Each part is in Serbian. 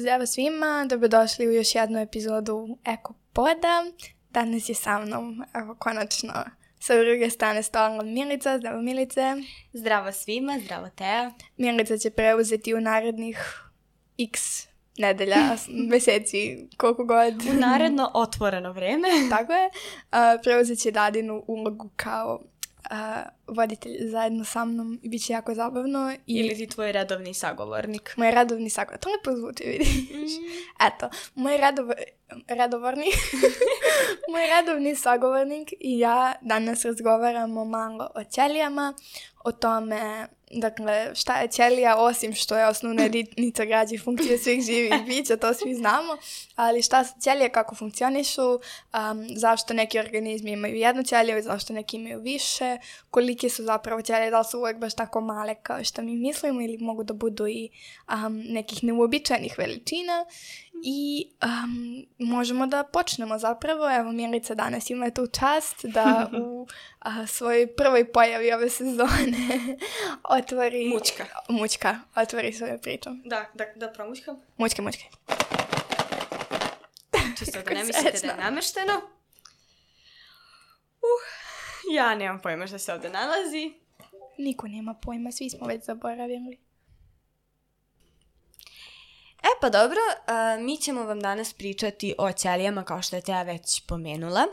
Pozdrav svima, dobrodošli u još jednu epizodu Ekopoda. Danas je sa mnom, evo konačno, sa druge strane stola Milica. Zdravo Milice. Zdravo svima, zdravo Teja. Milica će preuzeti u narednih x nedelja, meseci, koliko god. U naredno otvoreno vreme. Tako je. Preuzet će Dadinu ulogu kao voditelj zajedno sa mnom i bit će jako zabavno. Ili ti tvoj redovni sagovornik. Moj redovni sagovornik. To lepo zvuči, vidiš. Eto, moj redovni sagovornik i ja danas razgovaramo malo o ćelijama, o tome, dakle, šta je ćelija, osim što je osnovna jedinica građe funkcije svih živih bića, to svi znamo, ali šta su ćelije, kako funkcionišu, zašto neki organizmi imaju jednu ćeliju, zašto neki imaju više, kolike su zapravo ćelije, da li su uvijek baš tako male kao što mi mislimo ili mogu da budu i nekih neuobičajenih veličina. I možemo da počnemo zapravo. Evo, Milica danas ima tu čast da u svojoj prvoj pojavi ove sezone otvori... Mućka. Otvori svoju priču. Da promućkam? Mućke. Čisto da ne mislite da je namešteno. Ja nemam pojma što se ovdje nalazi. Niko nema pojma, svi smo već zaboravili. Pa dobro, mi ćemo vam danas pričati o ćelijama kao što je Teja već pomenula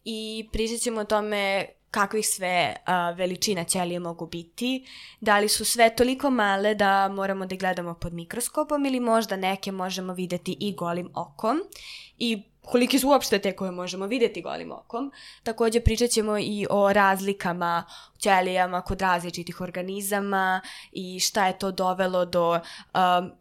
i pričat ćemo o tome kakvih sve veličina ćelije mogu biti, da li su sve toliko male da moramo da gledamo pod mikroskopom ili možda neke možemo vidjeti i golim okom i koliki su uopšte te koje možemo vidjeti golim okom. Također pričat ćemo i o razlikama ćelijama kod različitih organizama i šta je to dovelo do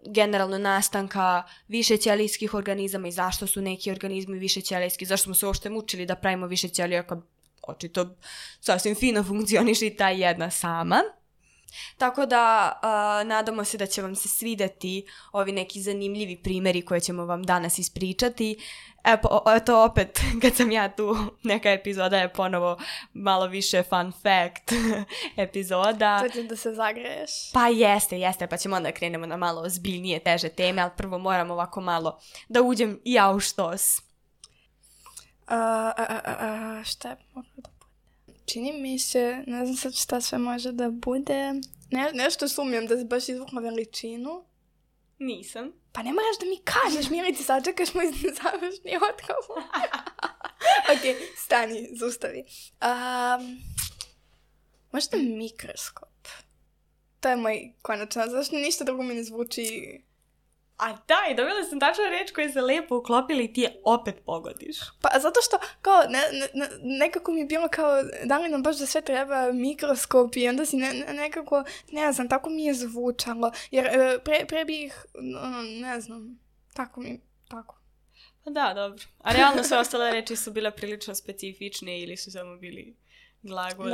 generalno nastanka više ćelijskih organizama i zašto su neki organizmi više ćelijski, zašto smo se uopšte mučili da pravimo više ćelija kad očito sasvim fino funkcioniše i ta jedna sama. Tako da nadamo se da će vam se svidjeti ovi neki zanimljivi primjeri koje ćemo vam danas ispričati. Eto opet, kad sam ja tu, neka epizoda je ponovo malo više fun fact epizoda. To će da se zagreješ. Pa jeste, pa ćemo onda krenemo na malo ozbiljnije, teže teme, ali prvo moram ovako malo da uđem i ja u štos. Šta je moglo da bude? Čini mi se, ne znam sad šta sve može da bude. Nešto sumnjam da se baš izvukla veličinu. Nisam. Pa ne moraš da mi kažeš, Milici, sad čekaš moj završni odgovor. Ok, stani, zustavi. Možda mikroskop. To je moj konačno, zašto ništa drugo mi ne zvuči... A daj, dobila sam tačno reč koju se lijepo uklopili i ti je opet pogodiš. Pa zato što, kao, nekako mi je bilo kao, da li nam baš da sve treba mikroskop i onda si nekako, ne znam, tako mi je zvučalo. Jer pre bih, ne znam, tako. Pa da, dobro. A realno sve ostale reči su bile prilično specifične ili su samo bili glagoli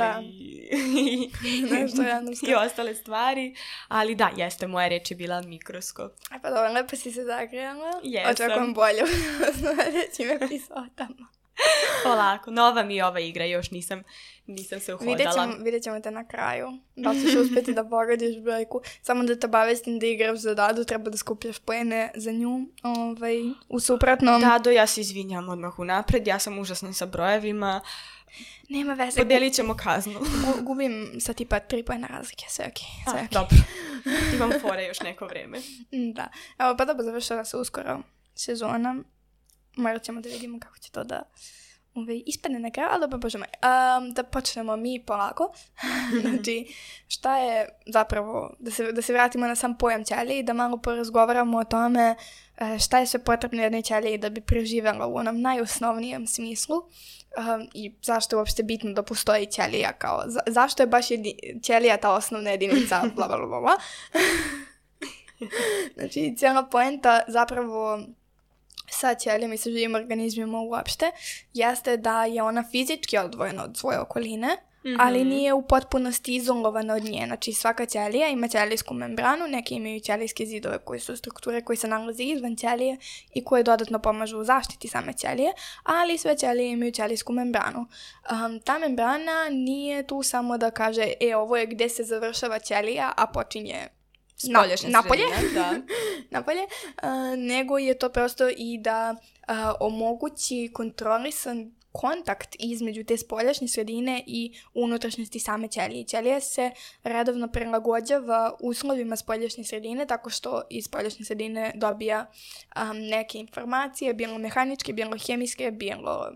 i ostale stvari, ali da, jeste, moja reč je bila mikroskop. Pa dobro, lepo si se zagrijala. Jesam. Očekujem bolje u sljedećim epizodama. Polako, nova mi je ova igra, još nisam se uhodala. Vidjet ćemo te na kraju. Da li ćeš uspjeti da pogodiš brojku. Samo da te obavestim da igraš za Dadu, treba da skupljaš poene za nju. U suprotnom... Dado, ja se izvinjam odmah unapred, ja sam užasna sa brojevima. Nema veze. Podelit ćemo kaznu. Gubim sa tipa 3 pojena razlike, sve ok. Dobro. Imam fore još neko vreme. Da. Evo, pa dobro, završava se uskoro sezona. Morat ćemo da vidimo kako će to da ispadne na kraju, ali dobro, bože moj. Da počnemo mi polako. Znači, šta je zapravo, da se vratimo na sam pojam ćelije i da malo porazgovaramo o tome šta je sve potrebno jednoj ćeliji da bi preživjela u onom najosnovnijem smislu i zašto je uopšte bitno da postoji ćelija, kao zašto je baš ćelija ta osnovna jedinica, bla bla bla bla. Znači, cijela poenta zapravo sa ćelijom i sa živim organizmima uopšte jeste da je ona fizički odvojena od svoje okoline, ali nije u potpunosti izolovana od nje. Znači, svaka ćelija ima ćelijsku membranu, neke imaju ćelijske zidove koji su strukture koji se nalaze izvan ćelije i koje dodatno pomažu u zaštiti same ćelije, ali sve ćelije imaju ćelijsku membranu. Ta membrana nije tu samo da kaže ovo je gde se završava ćelija, a počinje spoljašnja napolje, sredina, da. napolje, nego je to prosto i da omogući kontrolisan kontakt između te spoljašnje sredine i unutrašnjosti same ćelije. Ćelija se redovno prilagođava uslovima spoljašnje sredine tako što iz spoljašnje sredine dobija neke informacije, bilo mehaničke, bilo hemijske, bilo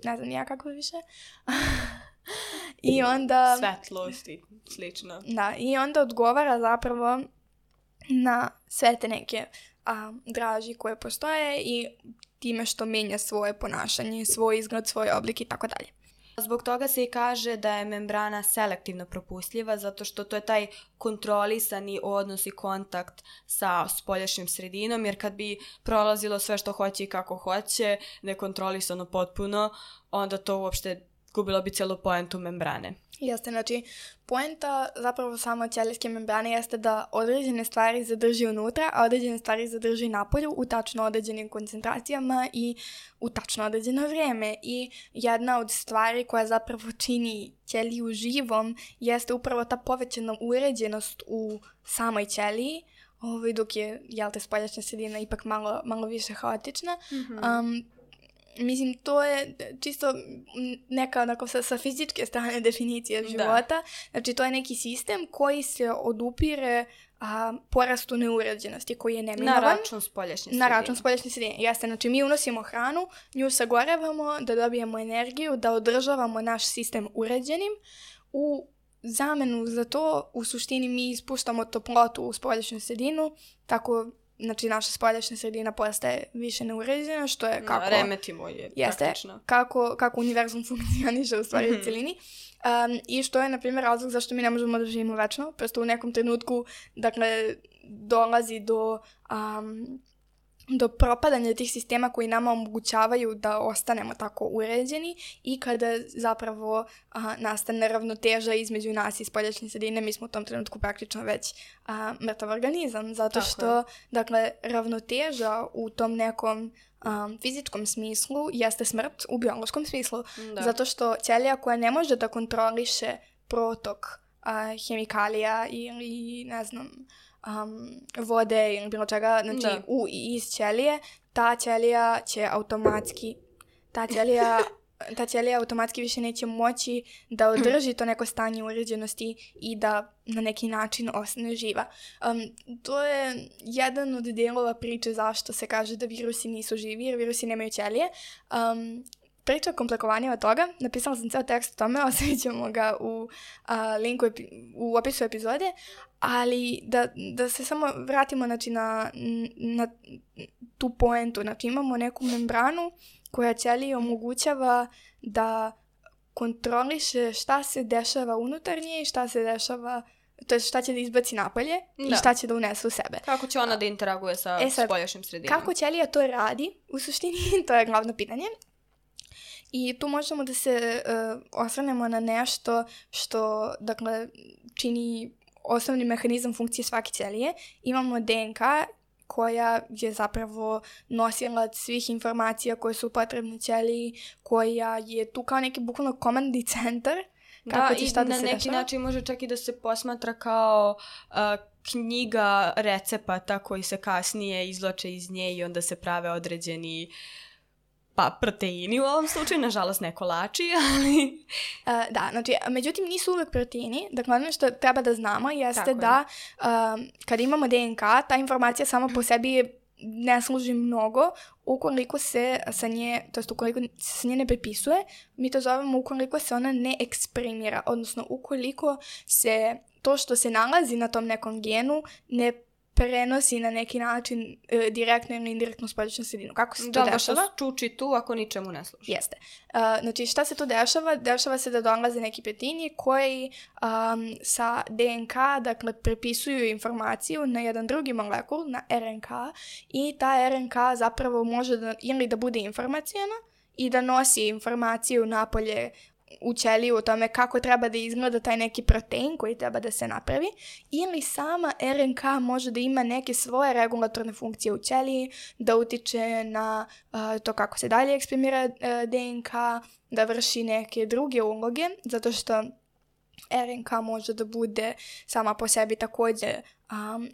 ne znam ja kako više. I onda... Svetlost i slično. Da, i onda odgovara zapravo na sve te neke draži koje postoje i time što menja svoje ponašanje, svoj izgled, svoj oblik i tako dalje. Zbog toga se i kaže da je membrana selektivno propustljiva, zato što to je taj kontrolisani odnos i kontakt sa spoljašnjom sredinom, jer kad bi prolazilo sve što hoće i kako hoće, nekontrolisano potpuno, onda to uopšte gubilo bi cijelu poentu membrane. Jeste, znači, poenta zapravo samo ćelijske membrane jeste da određene stvari zadrži unutra, a određene stvari zadrži napolju u tačno određenim koncentracijama i u tačno određeno vrijeme. I jedna od stvari koja zapravo čini ćeliju živom jeste upravo ta povećana uređenost u samoj ćeliji, dok je, spoljašnja sredina ipak malo više haotična. Mislim, to je čisto neka onako sa fizičke strane definicija života. Da. Znači, to je neki sistem koji se odupire porastu neuređenosti, koji je neminovan. Na račun spoljašnje sredine. Na račun spoljašnje sredine. Jeste, znači mi unosimo hranu, nju sagorevamo da dobijemo energiju, da održavamo naš sistem uređenim. U zamenu za to, u suštini mi ispuštamo toplotu u spoljašnju sredinu, tako... Znači, naša spoljašnja sredina postaje više neuređena, što je kako... Remetimo je praktično. Kako univerzum funkcioniše u stvari u celini. I što je, na primjer, razlog zašto mi ne možemo da živimo večno. Prosto u nekom trenutku, dakle, dolazi do propadanja tih sistema koji nama omogućavaju da ostanemo tako uređeni i kada zapravo nastane ravnoteža između nas i spoljašnje sredine, mi smo u tom trenutku praktično već mrtav organizam, zato što, dakle, ravnoteža u tom nekom fizičkom smislu jeste smrt u biološkom smislu, zato što ćelija koja ne može da kontroliše protok hemikalija ili, ne znam, vode ili bilo čega, znači u i iz ćelije, ta ćelija će automatski, ta ćelija automatski više neće moći da održi to neko stanje uređenosti i da na neki način ostane živa. To je jedan od dijelova priče zašto se kaže da virusi nisu živi, jer virusi nemaju ćelije. Priča komplikovanija od toga, napisala sam ceo tekst o tome, ostavit ćemo ga u linku u opisu epizode, ali da se samo vratimo znači, na tu poentu. Znači imamo neku membranu koja ćeliji omogućava da kontroliše šta se dešava unutarnje i šta se dešava, to je šta će da izbaci napolje i šta će da unese u sebe. Kako će ona da interaguje sa spoljašnjim sredinom? Kako ćelija to radi, u suštini, to je glavno pitanje. I tu možemo da se osvrnemo na nešto što, dakle, čini osnovni mehanizam funkcije svake ćelije. Imamo DNK koja je zapravo nosilac svih informacija koje su potrebne ćeliji, koja je tu kao neki bukvalno komandni centar. Kako će šta da se dešava. Na neki način može čak i da se posmatra kao knjiga recepata koji se kasnije izvlače iz nje i onda se prave određeni proteini u ovom slučaju, nažalost ne kolači, ali... Da, znači, međutim nisu uvek proteini, dakle ono što treba da znamo jeste da kad imamo DNK, ta informacija sama po sebi ne služi mnogo ukoliko se sa nje, to jest ukoliko se sa nje ne prepisuje, mi to zovemo ukoliko se ona ne eksprimira, odnosno ukoliko se to što se nalazi na tom nekom genu ne prenosi na neki način direktno ili indirektno spoljašnju sredinu. Kako se to dešava? Da čuči tu ako ničemu ne služi. Jeste. Znači šta se to dešava? Dešava se da dolaze neki proteini koji sa DNK, dakle, prepisuju informaciju na jedan drugi molekul, na RNK, i ta RNK zapravo može ili da bude informacijona i da nosi informaciju napolje u ćeliju o tome kako treba da izgleda taj neki protein koji treba da se napravi, ili sama RNK može da ima neke svoje regulatorne funkcije u ćeliji, da utiče na to kako se dalje eksprimira DNK, da vrši neke druge uloge, zato što RNK može da bude sama po sebi također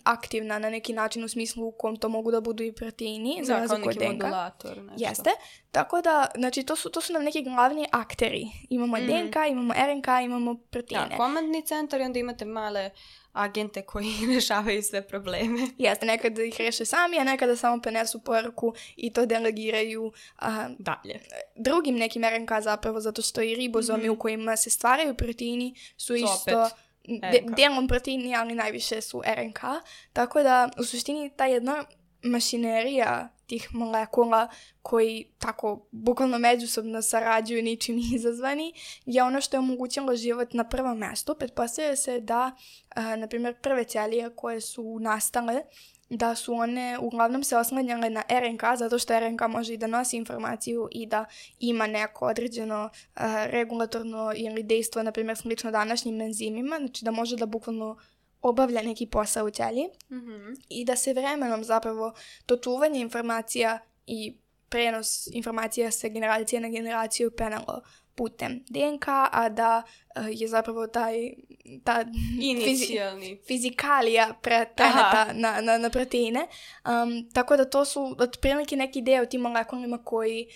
aktivna na neki način u smislu u kom to mogu da budu i proteini, za razliku od DNK. modulator, nešto. Jeste. Tako da, znači, to su nam neki glavni akteri. Imamo DNK, imamo RNK, imamo proteine. Da, komandni centar i onda imate male agente koji rešavaju sve probleme. Jeste, nekada ih reše sami, a nekada samo prenesu poruku i to delegiraju dalje. Drugim nekim RNK zapravo, zato što i ribozomi u kojima se stvaraju proteini su isto delom proteini, ali najviše su RNK. Tako da, u suštini, ta jedna mašinerija tih molekula koji tako bukvalno međusobno sarađuju ničim izazvani je ono što je omogućilo život na prvom mestu. Pretpostavlja se da, na primjer, prve ćelije koje su nastale, da su one uglavnom se oslanjale na RNK, zato što RNK može i da nosi informaciju i da ima neko određeno regulatorno ili dejstvo, na primjer, slično današnjim enzimima, znači da može da bukvalno obavlja neki posao u ćeliji i da se vremenom zapravo to čuvanje informacija i prenos informacija sa generacije na generaciju penalo putem DNK, a da je zapravo ta fizikalija preneta na proteine. Tako da to su otprilike neki deo tim molekulima koji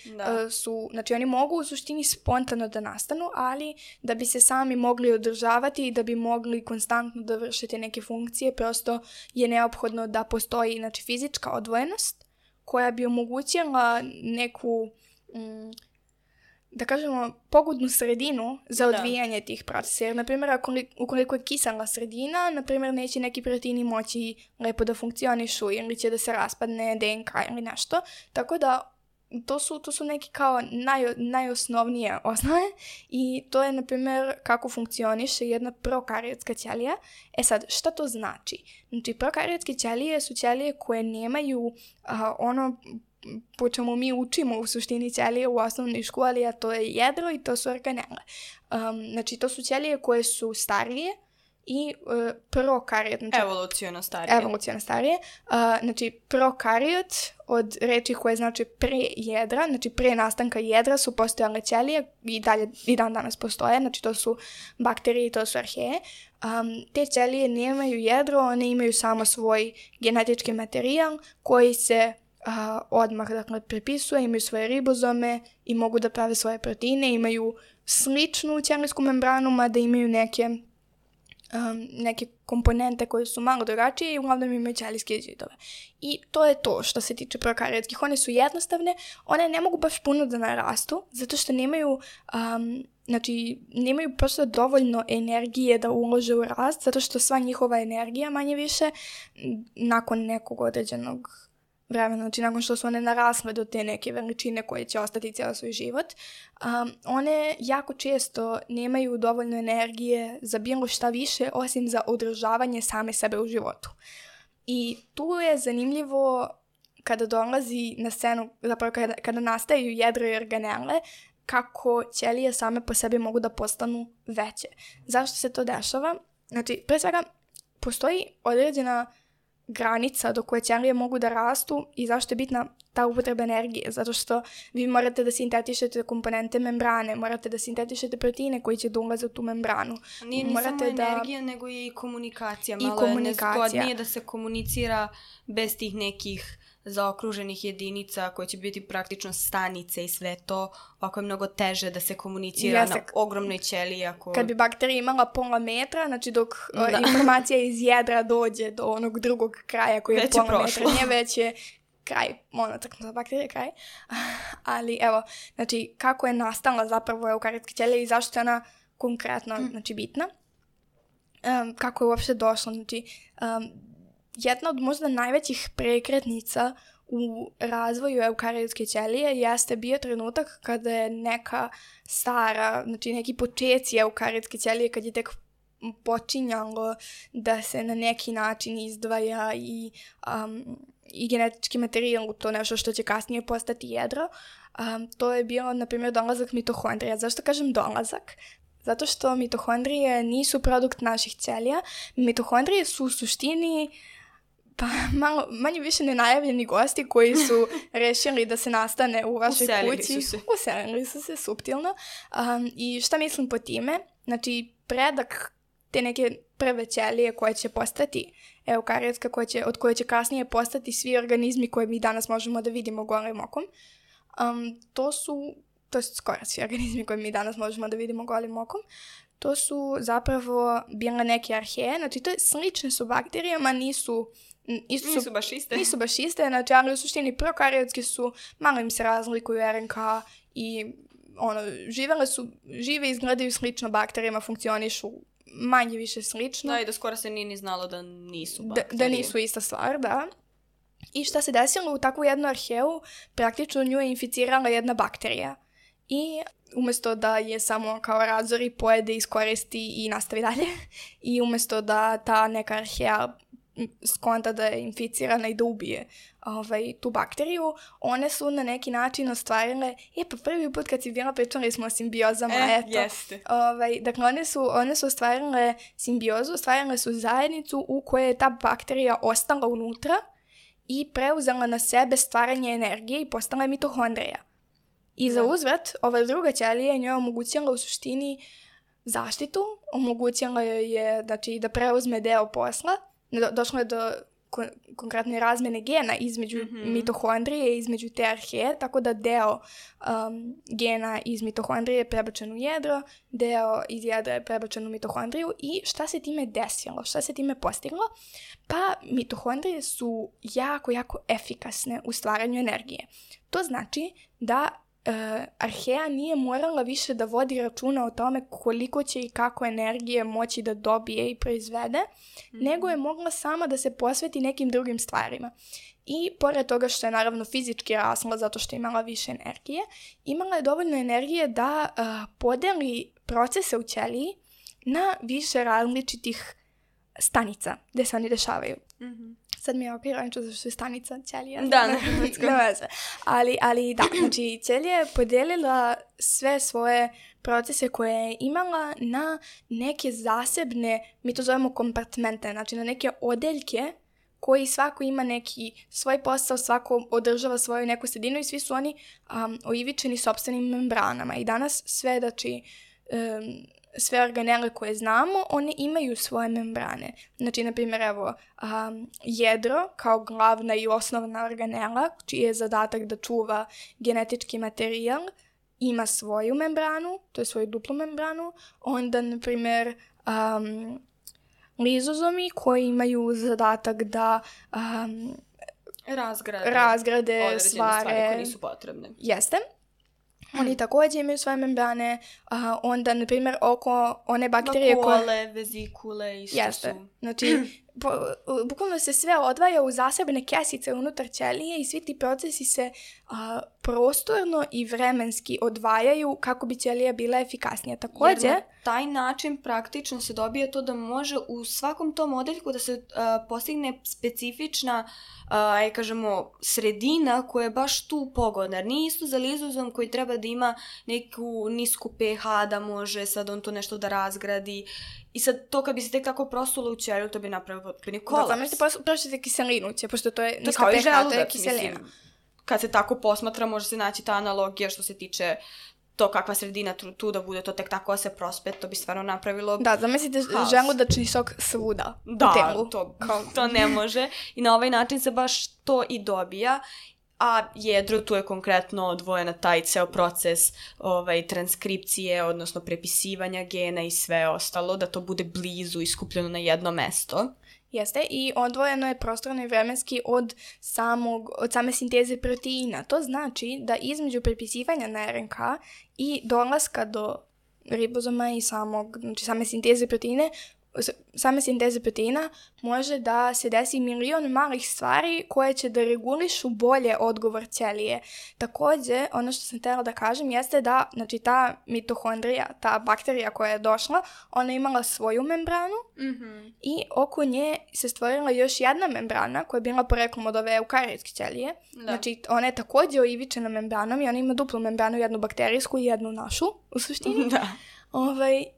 su, znači oni mogu u suštini spontano da nastanu, ali da bi se sami mogli održavati i da bi mogli konstantno da vršite neke funkcije, prosto je neophodno da postoji, znači, fizička odvojenost koja bi omogućila neku da kažemo, pogodnu sredinu za odvijanje tih procesa. Jer, na primjer, ukoliko je kisela sredina, na primjer, neće neki proteini moći lepo da funkcionišu ili će da se raspadne DNK ili nešto. Tako da, to su neki kao najosnovnije osnove i to je, na primjer, kako funkcioniše jedna prokariotska ćelija. Sad, šta to znači? Znači, prokariotske ćelije su ćelije koje nemaju po čemu mi učimo u suštini ćelije u osnovnoj školi, a to je jedro i to su organele. Znači, to su ćelije koje su starije i prokariot. Znači, evoluciono starije. Znači, prokariot od reči koje znači pre jedra, znači pre nastanka jedra su postojale ćelije i dan danas postoje, znači to su bakterije i to su arheje. Te ćelije nemaju jedro, one imaju samo svoj genetički materijal koji se odmah, dakle, prepisuje, imaju svoje ribozome i mogu da prave svoje proteine, imaju sličnu ćelijsku membranu, mada imaju neke komponente koje su malo drugačije i uglavnom imaju ćelijske zidove. I to je to što se tiče prokariotskih. One su jednostavne, one ne mogu baš puno da narastu, zato što nemaju prosto dovoljno energije da ulože u rast, zato što sva njihova energija, manje više, nakon nekog određenog vremena, znači nakon što su one narasle do te neke veličine koje će ostati cijeli svoj život, one jako često nemaju dovoljno energije za bilo šta više osim za održavanje same sebe u životu. I tu je zanimljivo kada dolazi na scenu, zapravo kada nastaju jedro i organele, kako ćelije same po sebi mogu da postanu veće. Zašto se to dešava? Znači, pre svega, postoji određena granica do koje ćelije mogu da rastu i zašto je bitna ta upotreba energije, zato što vi morate da sintetišete komponente membrane, morate da sintetišete proteine koji će da ulaze u tu membranu. Nije ni samo energija, nego i komunikacija. Malo je nezgodnije da se komunicira bez tih nekih zaokruženih jedinica koje će biti praktično stanice i sve to. Ovako je mnogo teže da se komunicira na ogromnoj ćeliji. Kad bi bakterija imala pola metra, znači dok informacija iz jedra dođe do onog drugog kraja koji je već pola metra, nije već je kraj, za bakterije kraj. Ali evo, znači kako je nastala zapravo eukariotska ćelija i zašto je ona konkretno znači, bitna. Kako je uopšte došlo, znači jedna od možda najvećih prekretnica u razvoju eukariotske ćelije jeste bio trenutak kada je neka stara, znači neki počeci eukariotske ćelije, kad je tek počinjalo da se na neki način izdvaja i genetički materijal u to nešto što će kasnije postati jedro. To je bilo, na primjer, dolazak mitohondrija. Zašto kažem dolazak? Zato što mitohondrije nisu produkt naših ćelija. Mitohondrije su u suštini manje više nenajavljeni gosti koji su rešili da se nastane u vašoj kući. Uselili su se suptilno. I šta mislim po time? Znači, predak te neke prve ćelije koje će postati eukariotska, od koje će kasnije postati svi organizmi koje mi danas možemo da vidimo golim okom. To je skoro svi organizmi koje mi danas možemo da vidimo golim okom. To su zapravo bile neke arheje, znači to je slične su bakterijama, nisu baš iste, znači, ali u suštini prokariotski su, malo im se razlikuju RNK i žive i izgledaju slično bakterijama, funkcionišu manje više slično. Da, i da skoro se nije ni znalo da nisu bakterije. Da nisu ista stvar, da. I šta se desilo u takvu jednu arheju, praktično nju je inficirala jedna bakterija. I umjesto da je samo kao razori, pojede, iskoristi i nastavi dalje, i umjesto da ta neka arheja skonta da je inficirana i da ubije tu bakteriju, one su na neki način ostvarile, pa prvi put kad si bila pričali smo o simbiozama, jeste. Dakle, one su ostvarile simbiozu, ostvarile su zajednicu u kojoj je ta bakterija ostala unutra i preuzela na sebe stvaranje energije i postala je mitohondrija. I za uzvrat, ova druga ćelija njoj omogućila u suštini zaštitu, omogućila joj je da preuzme deo posla, došlo je do konkretne razmene gena između mitohondrije i između te arheje, tako da deo gena iz mitohondrije je prebačen u jedro, deo iz jedra je prebačen u mitohondriju. I šta se time desilo? Šta se time postiglo? Pa mitohondrije su jako, jako efikasne u stvaranju energije. To znači da arheja nije morala više da vodi računa o tome koliko će i kako energije moći da dobije i proizvede, nego je mogla sama da se posveti nekim drugim stvarima. I pored toga što je naravno fizički rasla zato što je imala više energije, imala je dovoljno energije da podeli procese u ćeliji na više različitih stanica gde se oni dešavaju. Sad mi je ironično zašto je stanica ćelija. Da, na hrvatskom. Ali da, znači ćelija je podijelila sve svoje procese koje je imala na neke zasebne, mi to zovemo kompartmente, znači na neke odeljke koji svako ima neki svoj posao, svako održava svoju neku sredinu i svi su oni oivičeni sopstvenim membranama. I danas sve, znači, sve organele koje znamo, one imaju svoje membrane. Znači, na primjer, evo, jedro kao glavna i osnovna organela, čiji je zadatak da čuva genetički materijal, ima svoju membranu, to je svoju duplu membranu. Onda, na primjer, lizozomi koji imaju zadatak da razgrade stvari koje nisu potrebne. Jeste. Oni također imaju svoje membrane, onda, na primjer, oko one bakterije vakule, vezikule, isto jeste. Znači, bukvalno se sve odvaja u zasebne kesice unutar ćelije i svi ti procesi se prostorno i vremenski odvajaju kako bi ćelija bila efikasnija. Također, jer na taj način praktično se dobije to da može u svakom tom odeljku da se postigne specifična kažemo, sredina koja je baš tu pogodna. Jer nije isto za lizozom koji treba da ima neku nisku pH, da može sad on to nešto da razgradi. I sad to kad bi se tek tako prosulo u ćeliju, to bi napravio potpuni kolaps. Da, možete prošiti kiselinu, pošto to je niska pH, to je kiselina. Mislim, kad se tako posmatra, može se naći ta analogija što se tiče to kakva sredina tu da bude, to tek tako se prospe, to bi stvarno napravilo da, zamislite želudačni sok svuda u telu. To ne može. I na ovaj način se baš to i dobija. A jedro tu je konkretno odvojena taj ceo proces transkripcije, odnosno prepisivanja gena i sve ostalo, da to bude blizu i skupljeno na jedno mesto. Jeste, i odvojeno je prostorno i vremenski od same sinteze proteina. To znači da između prepisivanja na RNK i dolaska do ribozoma i same sinteze proteina može da se desi milion malih stvari koje će da regulišu bolje odgovor ćelije. Također, ono što sam htjela da kažem jeste da, znači, ta mitohondrija, ta bakterija koja je došla, ona je imala svoju membranu i oko nje se stvorila još jedna membrana koja je bila poreklom od ove eukariotske ćelije. Da. Znači, ona je također oivičena membranom i ona ima duplu membranu, jednu bakterijsku i jednu našu, u suštini. Da.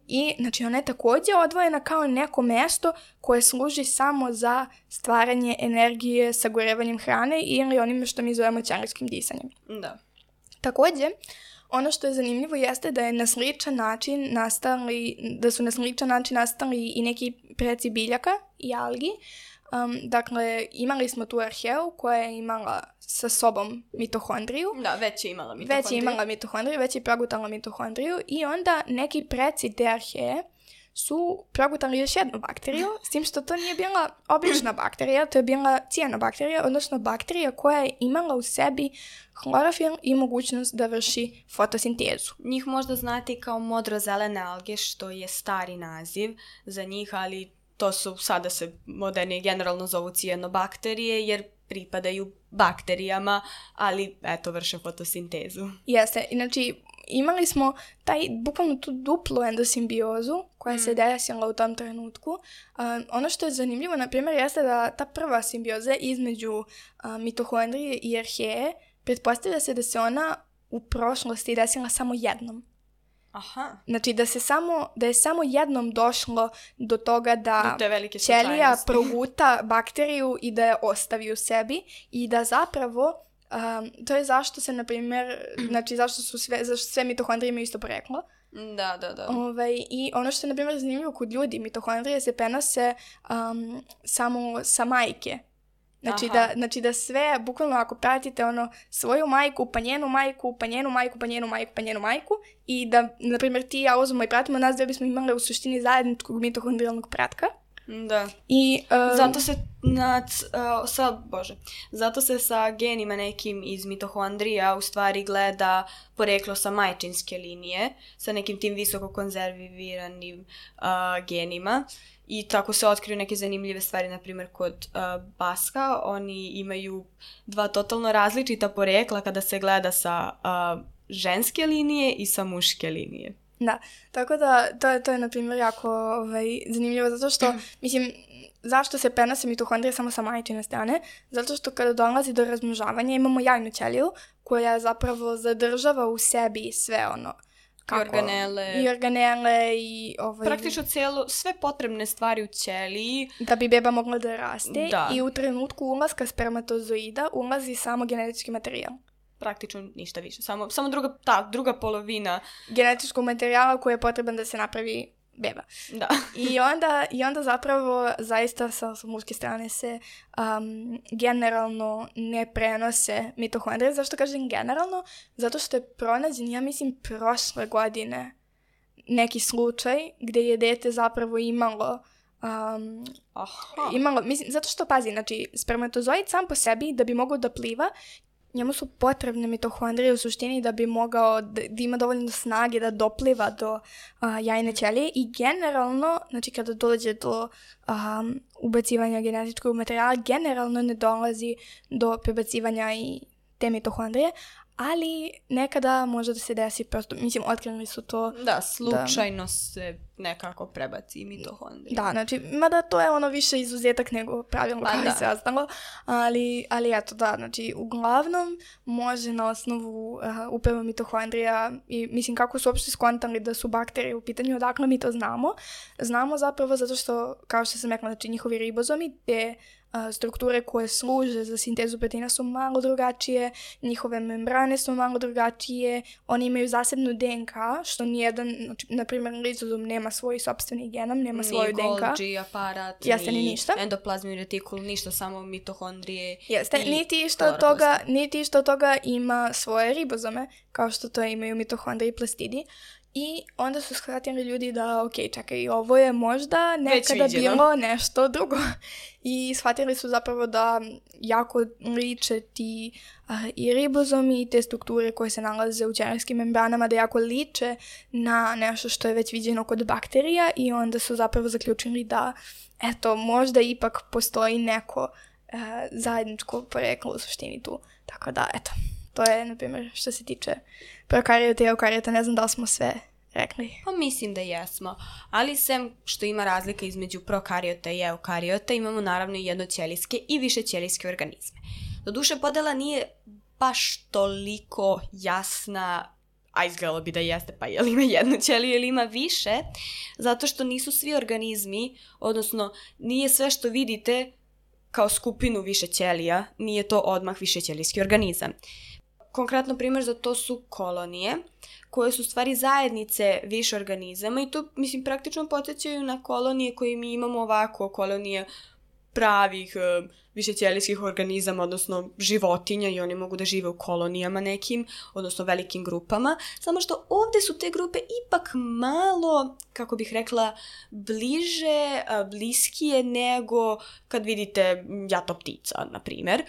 I znači ona je također odvojena kao neko mjesto koje služi samo za stvaranje energije sagorevanjem hrane ili onime što mi zovemo ćelijskim disanjem. Da. Također, ono što je zanimljivo jeste da je na sličan način su na sličan način nastali i neki preci biljaka i algi. Dakle, imali smo tu arheu koja je imala sa sobom mitohondriju. Da, već je imala mitohondriju. Već je progutala mitohondriju i onda neki preci te arheje su progutali još jednu bakteriju, s tim što to nije bila obična bakterija, to je bila cijanobakterija, odnosno bakterija koja je imala u sebi hlorofil i mogućnost da vrši fotosintezu. Njih možda znate kao modrozelene alge, što je stari naziv za njih, ali to su, sada se modernije generalno zovu cijanobakterije, jer pripadaju bakterijama, ali eto, vrše fotosintezu. Jeste, znači imali smo bukvalno tu duplu endosimbiozu koja se desila u tom trenutku. Ono što je zanimljivo, na primjer, jeste da ta prva simbioza između mitohondrije i arheje, pretpostavlja se da se ona u prošlosti desila samo jednom. Aha. Znači da je samo jednom došlo do toga da ćelija proguta bakteriju i da je ostavi u sebi i da zapravo to je zašto se, na primjer, znači zašto sve mitohondrije imaju isto poreklo. Da. I ono što je, na primjer, zanimljivo kod ljudi, mitohondrije se prenose samo sa majke. Znači da sve, bukvalno ako pratite svoju majku, pa njenu majku, pa njenu majku, pa njenu majku, pa njenu majku i da, na primjer, ti i ja uzmemo i pratimo nas da bismo imali u suštini zajedničkog mitohondrijalnog pratka. Da. I zato se sa genima nekim iz mitohondrija u stvari gleda poreklo sa majčinske linije, sa nekim tim visoko konzerviranim genima. I tako se otkriju neke zanimljive stvari, na primjer kod Baska, oni imaju dva totalno različita porekla kada se gleda sa ženske linije i sa muške linije. Da, tako da to je na primjer jako zanimljivo, zato što, mislim, zašto se prenose mitohondrije samo sa majčine strane? Zato što kada dolazi do razmnožavanja imamo jajnu ćeliju koja zapravo zadržava u sebi sve i organele i praktično sve potrebne stvari u ćeliji da bi beba mogla da raste. Da. I u trenutku ulaska spermatozoida ulazi samo genetički materijal. Praktično ništa više. Samo druga polovina genetičkog materijala koji je potreban da se napravi beba. Da. I onda zapravo zaista sa muške strane se generalno ne prenose mitohondrije. Zašto kažem generalno? Zato što je pronađen, ja mislim, prošle godine neki slučaj gdje je dete zapravo imalo mislim, zato što, pazi, znači, spermatozoid sam po sebi da bi mogao da pliva, njemu su potrebne mitohondrije u suštini da bi mogao da ima dovoljno snage da dopliva do jajne ćelije i generalno, znači kada dođe do ubacivanja genetičkog materijala, generalno ne dolazi do prebacivanja i te mitohondrije, ali nekada može da se desi, prosto, mislim, otkrili su to. Da, slučajno se nekako prebaci mitohondrije. Da, znači, mada to je više izuzetak nego pravilo kao i sve ostalo, ali eto, da, znači, uglavnom može na osnovu upravo mitohondrija i, mislim, kako su uopšte skontali da su bakterije u pitanju, odakle mi to znamo. Znamo zapravo zato što, kao što sam rekla, znači, njihovi ribozomi, te strukture koje služe za sintezu proteina su malo drugačije, njihove membrane su malo drugačije, oni imaju zasebnu DNK, što nijedan, znači, na primjer, lizozom nema svoj sopstveni genom, nema svoju DNK. Ni Golgi aparat, ni endoplazmni retikul, ništa, samo mitohondrije. Jeste, niti isto od toga ima svoje ribozome, kao što to imaju mitohondrije i plastidi. I onda su shvatili ljudi da, ok, čekaj, ovo je možda nekada bilo nešto drugo. I shvatili su zapravo da jako liče ti i ribozomi i te strukture koje se nalaze u ćelijskim membranama, da jako liče na nešto što je već viđeno kod bakterija i onda su zapravo zaključili da, eto, možda ipak postoji neko zajedničko poreklo u suštini tu. Tako da, eto. To je, na primjer, što se tiče prokarijota i eukarijota, ne znam da li smo sve rekli. Pa mislim da jesmo, ali sem što ima razlika između prokarijota i eukarijota, imamo naravno i jednoćelijske i višećelijske organizme. Doduše, podela nije baš toliko jasna, a izgledalo bi da jeste, pa je li ima jednu ćeliju ili ima više, zato što nisu svi organizmi, odnosno nije sve što vidite kao skupinu više ćelija, nije to odmah višećelijski organizam. konkretno primjer za to su kolonije, koje su stvari zajednice više organizama i to, mislim, praktično podsjećaju na kolonije koje mi imamo ovako, kolonije pravih višećelijskih organizama, odnosno životinja i oni mogu da žive u kolonijama nekim, odnosno velikim grupama, samo što ovdje su te grupe ipak malo, kako bih rekla, bliskije nego kad vidite jato ptica, na primjer.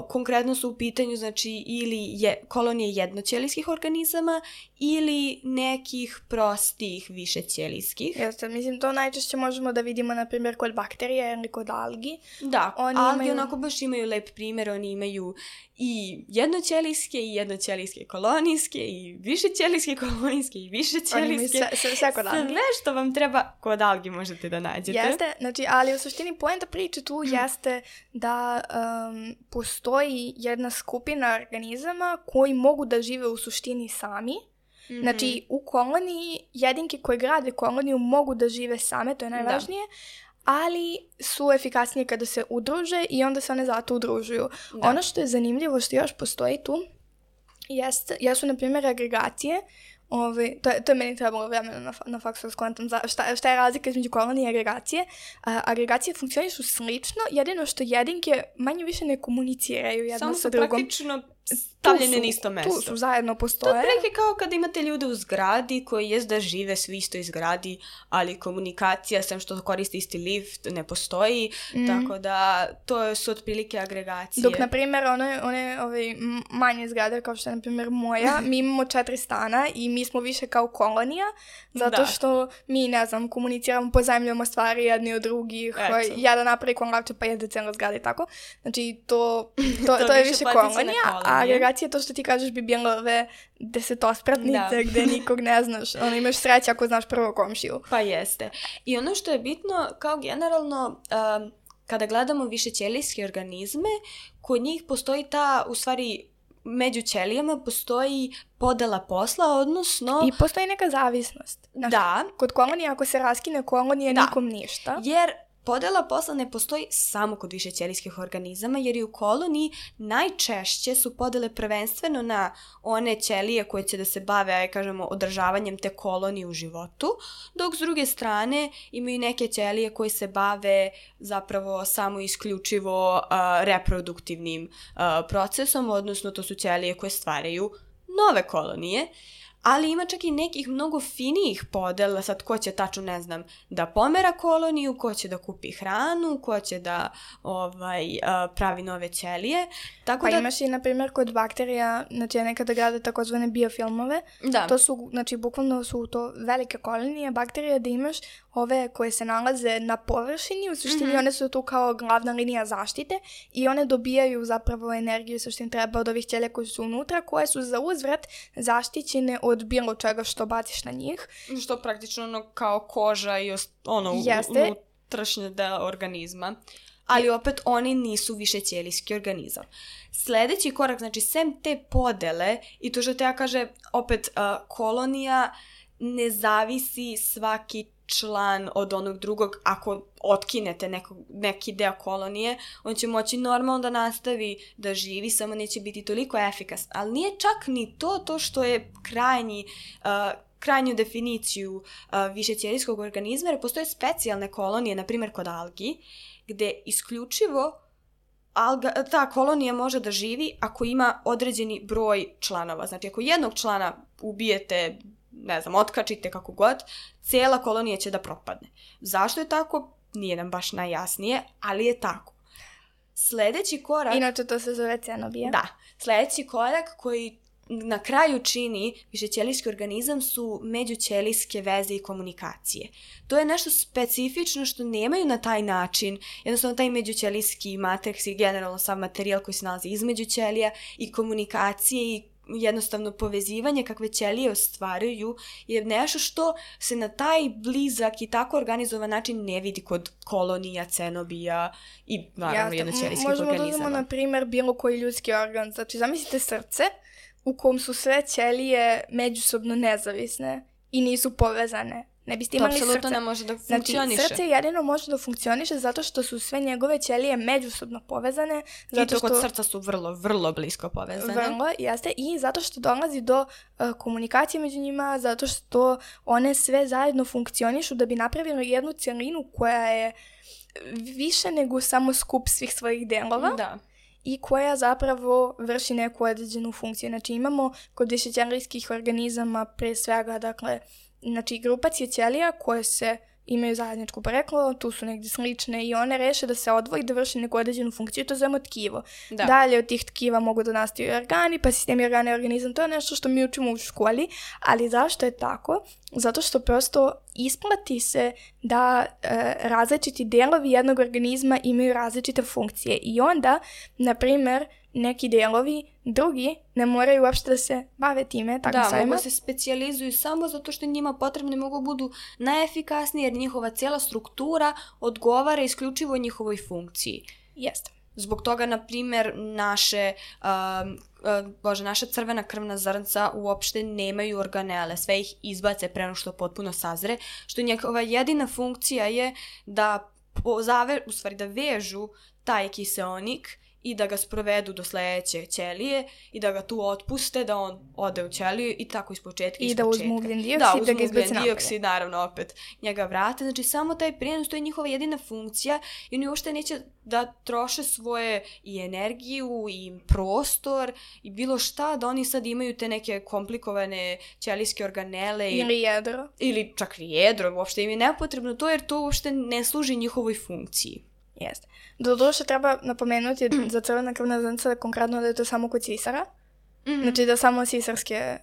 Konkretno su u pitanju, znači, ili kolonije jednoćelijskih organizama ili nekih prostih višećelijskih. Jeste, mislim, to najčešće možemo da vidimo, na primjer, kod bakterije ili kod algi. Da, algi onako baš imaju lep primjer, oni imaju i jednoćelijske i jednoćelijske kolonijske i višećelijske kolonijske i višećelijske. Sve kod algi. Sve što vam treba kod algi možete da nađete. Jeste, znači, ali u suštini poenta priče tu jeste da postoji jedna skupina organizama koji mogu da žive u suštini sami. Znači, u koloniji, jedinke koje grade koloniju mogu da žive same, to je najvažnije, ali su efikasnije kada se udruže i onda se one zato udružuju. Da. Ono što je zanimljivo, što još postoji tu, jesu, na primjer, agregacije. To je meni trebalo vremena na faksu da skontam šta je razlika između kolonije i agregacije. Agregacije funkcionišu slično, jedino što jedinke manje više ne komuniciraju jedno sa drugom. Samo su praktično stavljene na isto mesto. Tu su, zajedno postoje. To je prilike kao kada imate ljude u zgradi koji jest da žive svi isto iz zgradi, ali komunikacija, sem što koriste isti lift, ne postoji, tako da to su otprilike agregacije. Dok, na primjer, one manje zgrade, kao što je, na primjer, moja, mi imamo 4 stana i mi smo više kao kolonija, zato što mi, ne znam, komuniciramo, pozajmljujemo stvari jedni od drugih, jedan napravi konlavče pa jede cijela zgrada i tako. Znači, to je više kolonija, a agregacija, to što ti kažeš, bi bilo ove desetospratnice gde nikog ne znaš. Imaš sreće ako znaš prvo komšiju. Pa jeste. I ono što je bitno, kao generalno, kada gledamo višećelijske organizme, kod njih postoji ta, u stvari, među ćelijama postoji podela posla, odnosno... I postoji neka zavisnost. Da. Kod kolonije, ako se raskine kolonije, nikom ništa. Jer podela posla ne postoji samo kod višećelijskih organizama, jer i u koloniji najčešće su podele prvenstveno na one ćelije koje će da se bave, kažemo, održavanjem te kolonije u životu, dok s druge strane imaju neke ćelije koje se bave zapravo samo isključivo reproduktivnim procesom, odnosno to su ćelije koje stvaraju nove kolonije. Ali ima čak i nekih mnogo finijih podela, sad ko će tačno, ne znam, da pomera koloniju, ko će da kupi hranu, ko će da pravi nove ćelije. Tako pa imaš i, na primjer, kod bakterija, znači nekada grade takozvane biofilmove. Da. To su, znači, bukvalno su to velike kolonije bakterija da imaš ove koje se nalaze na površini, u suštini one su tu kao glavna linija zaštite i one dobijaju zapravo energiju što im treba od ovih ćelija koji su unutra, koje su za uzvrat zaštićene od bilo čega što baciš na njih. Što praktično kao koža i unutrašnje deo organizma. Ali opet oni nisu višećelijski organizam. Sljedeći korak, znači sem te podele i to što te ja kaže, opet kolonija ne zavisi svaki član od onog drugog. Ako otkinete neki deo kolonije, on će moći normalno da nastavi da živi, samo neće biti toliko efikasan. Ali nije čak ni to što je krajnju definiciju višećelijskog organizma, jer postoje specijalne kolonije, na primjer kod algi, gde isključivo ta kolonija može da živi ako ima određeni broj članova. Znači, ako jednog člana ubijete, ne znam, otkačite kako god, cijela kolonija će da propadne. Zašto je tako? Nije nam baš najjasnije, ali je tako. Sljedeći korak... Inače to se zove cenobija. Da. Sljedeći korak koji na kraju čini višećelijski organizam su međućelijske veze i komunikacije. To je nešto specifično što nemaju na taj način. Jednostavno taj međućelijski matriks i generalno sav materijal koji se nalazi između ćelija i komunikacije i jednostavno povezivanje kakve ćelije ostvaruju je nešto što se na taj blizak i tako organizovan način ne vidi kod kolonija, cenobija i naravno jednoćelijskih organizama. Možemo da uzmemo, na primjer, bilo koji ljudski organ. Znači, zamislite srce u kom su sve ćelije međusobno nezavisne i nisu povezane. Ne biste imali srce. To apsolutno ne može da funkcioniše. Znači, srce jedino može da funkcioniše zato što su sve njegove ćelije međusobno povezane. Zato I to kod srca su vrlo, vrlo blisko povezane. Vrlo, jeste. I zato što dolazi do komunikacije među njima, zato što one sve zajedno funkcionišu da bi napravili jednu cjelinu koja je više nego samo skup svih svojih delova. Da. I koja zapravo vrši neku određenu funkciju. Znači imamo kod višećelijskih organizama pre svega, dakle, znači grupacije ćelija koje se imaju zajedničko poreklo, tu su negdje slične i one reše da se odvoji da vrši neku određenu funkciju, to zovemo tkivo. Da. Dalje od tih tkiva mogu da nastaju organi, pa sistemi organa i organizam, to je nešto što mi učimo u školi, ali zašto je tako? Zato što prosto isplati se da različiti delovi jednog organizma imaju različite funkcije i onda, na primjer, neki delovi, drugi, ne moraju uopšte da se bave time. Da, mogu se specijalizuju samo zato što njima potrebne mogu budu najefikasnije jer njihova cijela struktura odgovara isključivo njihovoj funkciji. Jeste. Zbog toga, na primjer, naša crvena krvna zrnca uopšte nemaju organele, sve ih izbace pre nego što potpuno sazre, što njegova jedina funkcija je da da vežu taj kiseonik i da ga sprovedu do sledeće ćelije i da ga tu otpuste, da on ode u ćeliju i tako ispočetka. I da uzmu ugljen dioksid, da ga izbaci napolje. Dioksid, naravno, opet njega vrate. Znači, samo taj prijenos, to je njihova jedina funkcija i oni uopšte neće da troše svoje i energiju i prostor i bilo šta, da oni sad imaju te neke komplikovane ćelijske organele. Ili jedro. Ili čak i jedro, uopšte im je nepotrebno to jer to uopšte ne služi njihovoj funkciji. Jeste. Doduše treba napomenuti za crvena krvna zrnca konkretno da je to samo kod sisara. Mm-hmm. Znači da samo sisarske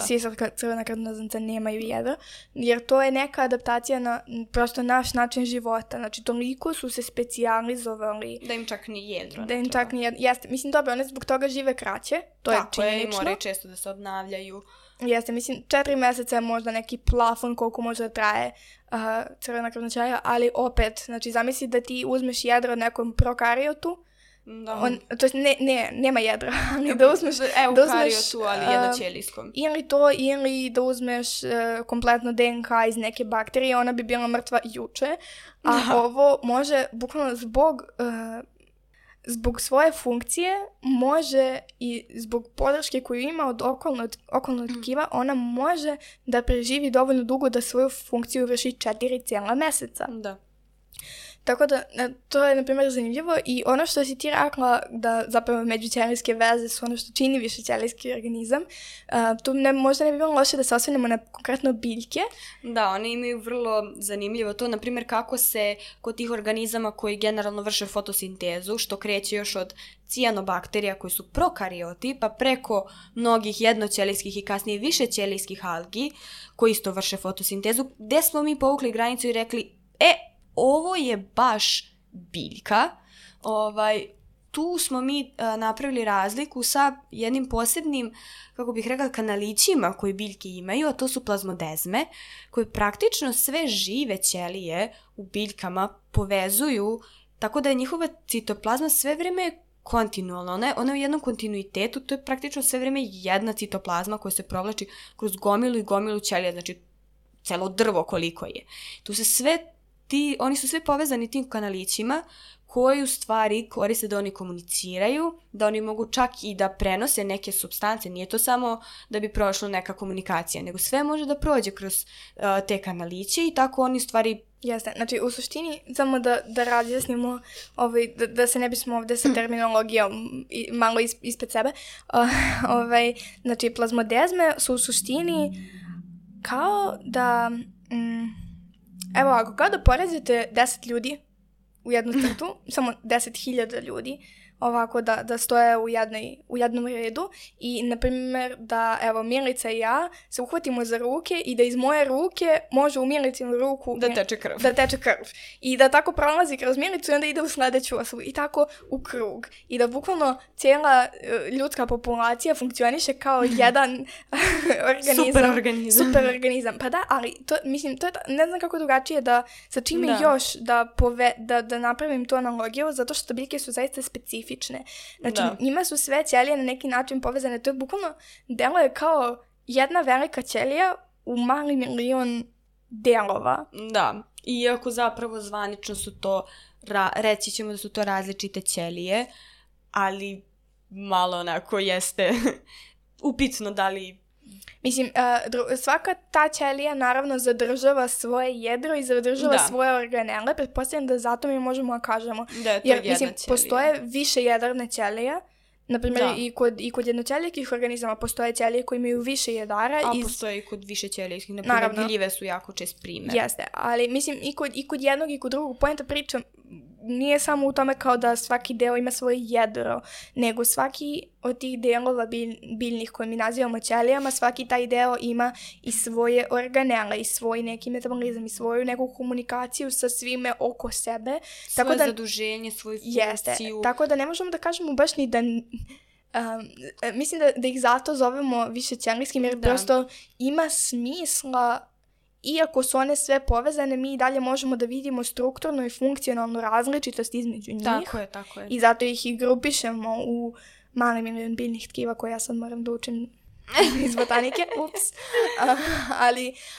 sisarska crvena krvna zrnca nemaju jedro. Jer to je neka adaptacija na prosto naš način života. Znači toliko su se specijalizovali. Da im čak ni jedro. Da im čak ni jedro. Jeste. Mislim dobro, one zbog toga žive kraće. To je činjenično. Tako je, moraju često da se obnavljaju. Jeste, mislim, 4 mjeseca je možda neki plafon koliko može da traje crvena krvna ćelija, ali opet, znači zamisli da ti uzmeš jedro od nekom prokariotu, to jest nema jedra, ali da uzmeš eukariotu, ali jednoćelijskom. Ili to, ili da uzmeš kompletno DNK iz neke bakterije, ona bi bila mrtva juče, a ovo može bukvalno zbog svoje funkcije može i zbog podrške koju ima od okolnog tkiva, ona može da preživi dovoljno dugo da svoju funkciju vrši 4 cijela mjeseca. Da. Tako da, to je, na primjer, zanimljivo i ono što si ti rekla da zapravo međućelijske veze su ono što čini višećelijski organizam, tu možda ne bi bilo loše da se osvrnemo na konkretno biljke. Da, one imaju vrlo zanimljivo to, na primjer, kako se kod tih organizama koji generalno vrše fotosintezu, što kreće još od cijanobakterija koji su prokarioti, pa preko mnogih jednoćelijskih i kasnije višećelijskih algi koji isto vrše fotosintezu, gde smo mi povukli granicu i rekli, ovo je baš biljka. Tu smo mi napravili razliku sa jednim posebnim, kako bih rekla, kanalićima koji biljke imaju, a to su plazmodezme, koje praktično sve žive ćelije u biljkama povezuju, tako da je njihova citoplazma sve vreme kontinualna. Ona je u jednom kontinuitetu, to je praktično sve vreme jedna citoplazma koja se provlači kroz gomilu i gomilu ćelija, znači celo drvo koliko je. Tu se oni su sve povezani tim kanalićima koji u stvari koriste da oni komuniciraju, da oni mogu čak i da prenose neke supstance. Nije to samo da bi prošla neka komunikacija, nego sve može da prođe kroz te kanaliće i tako oni u stvari... Jeste, znači u suštini samo da razjasnimo, da se ne bismo ovdje sa terminologijom malo ispred sebe, znači plazmodezme su u suštini kao da... Evo, ako kao da porazite 10 ljudi u jednu crtu, samo 10.000 ljudi, ovako da stoje u jednom redu i, na primjer, da, evo, Milica i ja se uhvatimo za ruke i da iz moje ruke može u Milicinu ruku da teče krv. Da teče krv. I da tako prolazi kroz Milicu i onda ide u sledeću osobu i tako u krug. I da bukvalno cijela ljudska populacija funkcioniše kao jedan organizam. Super organizam. Pa da, ali to, mislim, to je, ne znam kako drugačije da sa čime još da napravim tu analogiju, zato što biljke su zaista specifične. Znači, njima su sve ćelije na neki način povezane. To je bukvalno, deluje kao jedna velika ćelija u mali milion delova. Da, iako zapravo zvanično su to, reći ćemo da su to različite ćelije, ali malo onako jeste upitno da li... Mislim, svaka ta ćelija naravno zadržava svoje jedro i zadržava svoje organele. Pretpostavljam da zato mi možemo da kažemo. Da je to jer, jedna mislim, ćelija. Postoje više jedrne ćelije. Naprimjer, i kod jednoćelijskih organizama postoje ćelije koje imaju više jedara. A postoje i kod više ćelijskih. Naprimjer, gljive su jako čest primjer. Jeste, ali mislim i kod jednog i kod drugog. Poenta priča nije samo u tome kao da svaki deo ima svoje jedro, nego svaki od tih delova biljnih koje mi nazivamo ćelijama, svaki taj deo ima i svoje organele, i svoj neki metabolizam, i svoju neku komunikaciju sa svime oko sebe. Svoje zaduženje, svoju funkciju. Jeste, tako da ne možemo da kažemo baš ni da... mislim da ih zato zovemo višećelijskim, jer prosto ima smisla. Iako su one sve povezane, mi i dalje možemo da vidimo strukturnu i funkcionalnu različitost između njih. Tako je. I zato ih i grupišemo u mali milion biljnih tkiva koje ja sad moram da učim iz botanike. Ups.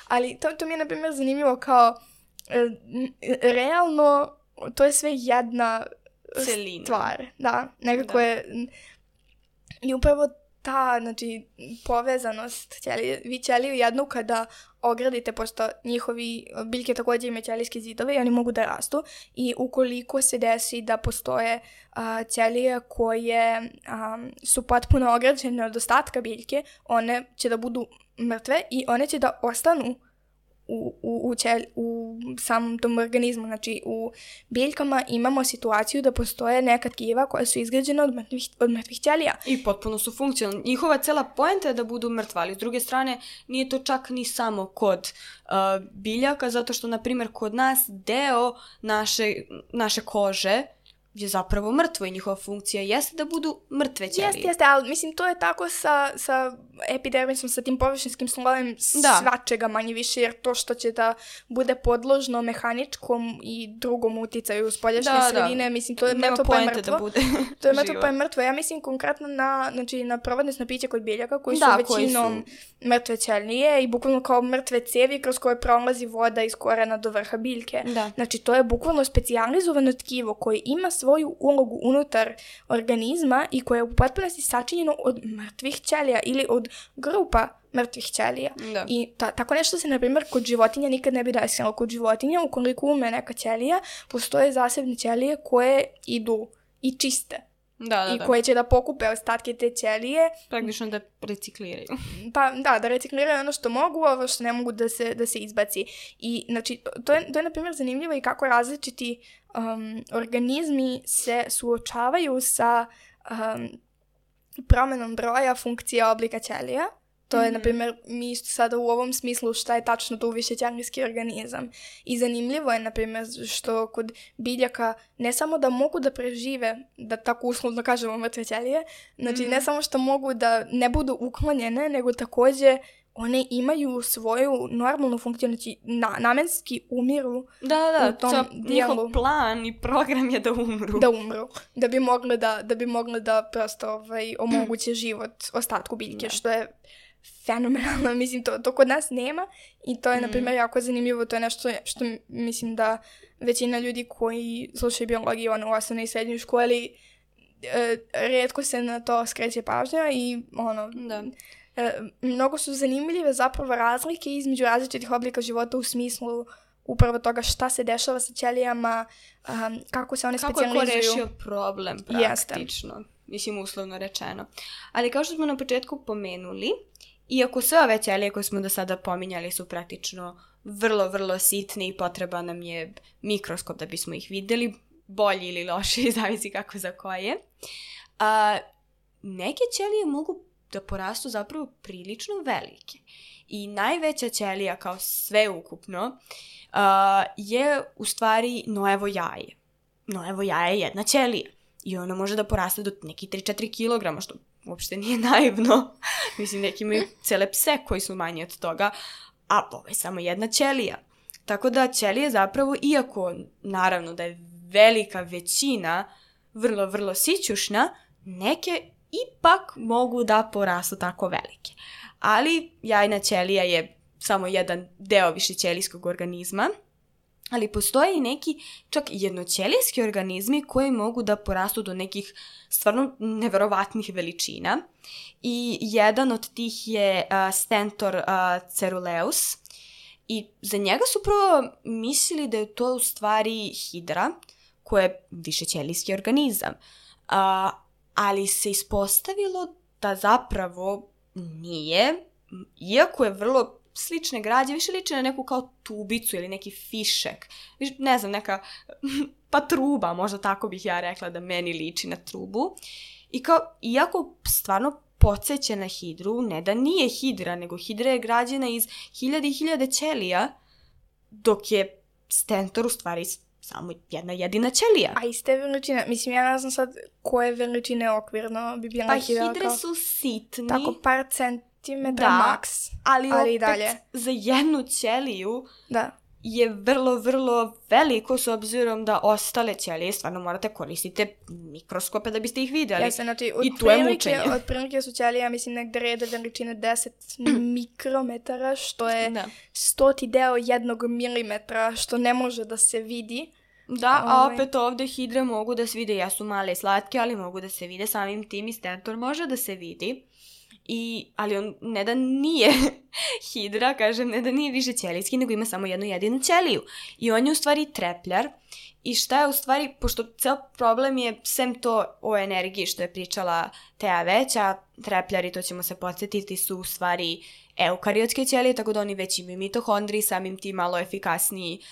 Ali to mi je, na primjer, zanimljivo kao realno to je sve jedna celina. Stvar. Da, nekako je... I upravo ta, znači, povezanost ćelije, vi ćeliju jednu kada ogradite, pošto njihovi biljke također imaju ćelijske zidove i oni mogu da rastu, i ukoliko se desi da postoje ćelije koje su potpuno ograđene od ostatka biljke, one će da budu mrtve i one će da ostanu u samom tom organizmu. Znači, u biljkama imamo situaciju da postoje neka tkiva koja su izgrađena od mrtvih ćelija. I potpuno su funkcionalni. Njihova cela poenta je da budu mrtva, ali s druge strane nije to čak ni samo kod biljaka, zato što, na primjer, kod nas deo naše kože je zapravo mrtvo i njihova funkcija jeste da budu mrtve ćelije. Jeste, ali mislim to je tako sa epidermisom, sa tim površinskim slojem svačega manje više, jer to što će da bude podložno mehaničkom i drugom uticaju spoljašnje sredine, mislim to je mrtvo pa je mrtvo. Da bude to je mrtvo pa je mrtvo. Ja mislim konkretno na provodnesno piće kod biljaka koji su većinom mrtve ćelije i bukvalno kao mrtve cevi kroz koje prolazi voda iz korena do vrha biljke. Da. Znači to je bukvalno specijalizovano tkivo koje ima svoju ulogu unutar organizma i koje je u potpunosti sačinjeno od mrtvih ćelija ili od grupa mrtvih ćelija. Da. I tako nešto se, na primjer, kod životinja nikad ne bi desilo. Kod životinja, ukoliko umre neka ćelija, postoje zasebne ćelije koje idu i čiste. I koje će da pokupe ostatke te ćelije. Praktično da recikliraju. Pa da recikliraju ono što mogu, ovo što ne mogu da se izbaci. I znači, to je na primjer zanimljivo i kako različiti organizmi se suočavaju sa promenom broja funkcija oblika ćelija. To je, na primjer, mi isto sada u ovom smislu šta je tačno to višećelijski organizam. I zanimljivo je, na primjer, što kod biljaka ne samo da mogu da prežive, da tako uslovno kažemo mrtve ćelije, znači ne samo što mogu da ne budu uklonjene, nego također one imaju svoju normalnu funkciju, znači namenski umiru u tom dijelu. Njihov plan i program je da umru. Da bi mogli da prosto omoguće život ostatku biljke, što je fenomenalno. Mislim, to kod nas nema i to je, na primjer, jako zanimljivo. To je nešto što mislim da većina ljudi koji slušaju biologiju u osnovnoj i srednjoj školi rijetko se na to skreće pažnja i mnogo su zanimljive zapravo razlike između različitih oblika života u smislu upravo toga šta se dešava sa ćelijama, kako se one specijalizuju. Kako je ko rešio problem praktično. Mislim, uslovno rečeno. Ali kao što smo na početku pomenuli, iako sve ove ćelije koje smo do sada pominjali su praktično vrlo, vrlo sitne i potreba nam je mikroskop da bismo ih vidjeli, bolji ili loši, zavisi kako za koje. Neke ćelije mogu da porastu zapravo prilično velike. I najveća ćelija kao sveukupno je u stvari Noevo jaje. Noevo jaje je jedna ćelija. I ona može da poraste do nekih 3-4 kilograma, što uopšte nije naivno. Mislim, neki imaju cele pse koji su manji od toga, a ovo je samo jedna ćelija. Tako da ćelije zapravo, iako naravno da je velika većina vrlo, vrlo sićušna, neke ipak mogu da porastu tako velike. Ali jajna ćelija je samo jedan deo višećelijskog organizma, ali postoje i neki čak jednoćelijski organizmi koji mogu da porastu do nekih stvarno neverovatnih veličina. I jedan od tih je Stentor ceruleus. I za njega su prvo mislili da je to u stvari hidra, koja je višećelijski organizam. Ali se ispostavilo da zapravo nije, iako je vrlo slične građe, više liči na neku kao tubicu ili neki fišek. Ne znam, neka pa truba, možda tako bih ja rekla da meni liči na trubu. I kao, iako stvarno podsjeća na hidru, ne da nije hidra, nego hidra je građena iz hiljade i hiljade ćelija, dok je Stentor u stvari samo jedna jedina ćelija. A iste veličine, mislim, ja ne znam sad koje veličine okvirno bi bila hidra. Pa hidre su sitni. Tako par centimetra maks. Ali opet i dalje. Za jednu ćeliju je vrlo, vrlo veliko, s obzirom da ostale ćelije stvarno morate koristiti mikroskope da biste ih vidjeli. Jeste, znači, i tu je mučenje. Otprilike su ćelije, ja mislim, negdje rede veličine 10 mikrometara, što je 100 deo 1 milimetra, što ne može da se vidi. Da, a opet ovdje hidre mogu da se vide, jesu male i slatke, ali mogu da se vide, samim tim i Stentor može da se vidi. Ali on ne da nije hidra, kažem, ne da nije višećelijski, nego ima samo jednu jedinu ćeliju. I on je u stvari trepljar. I šta je u stvari, pošto ceo problem je, sem to o energiji što je pričala Teja već, a trepljari, to ćemo se podsjetiti, su u stvari eukariotske ćelije, tako da oni već imaju mitohondriji, samim tim malo efikasniji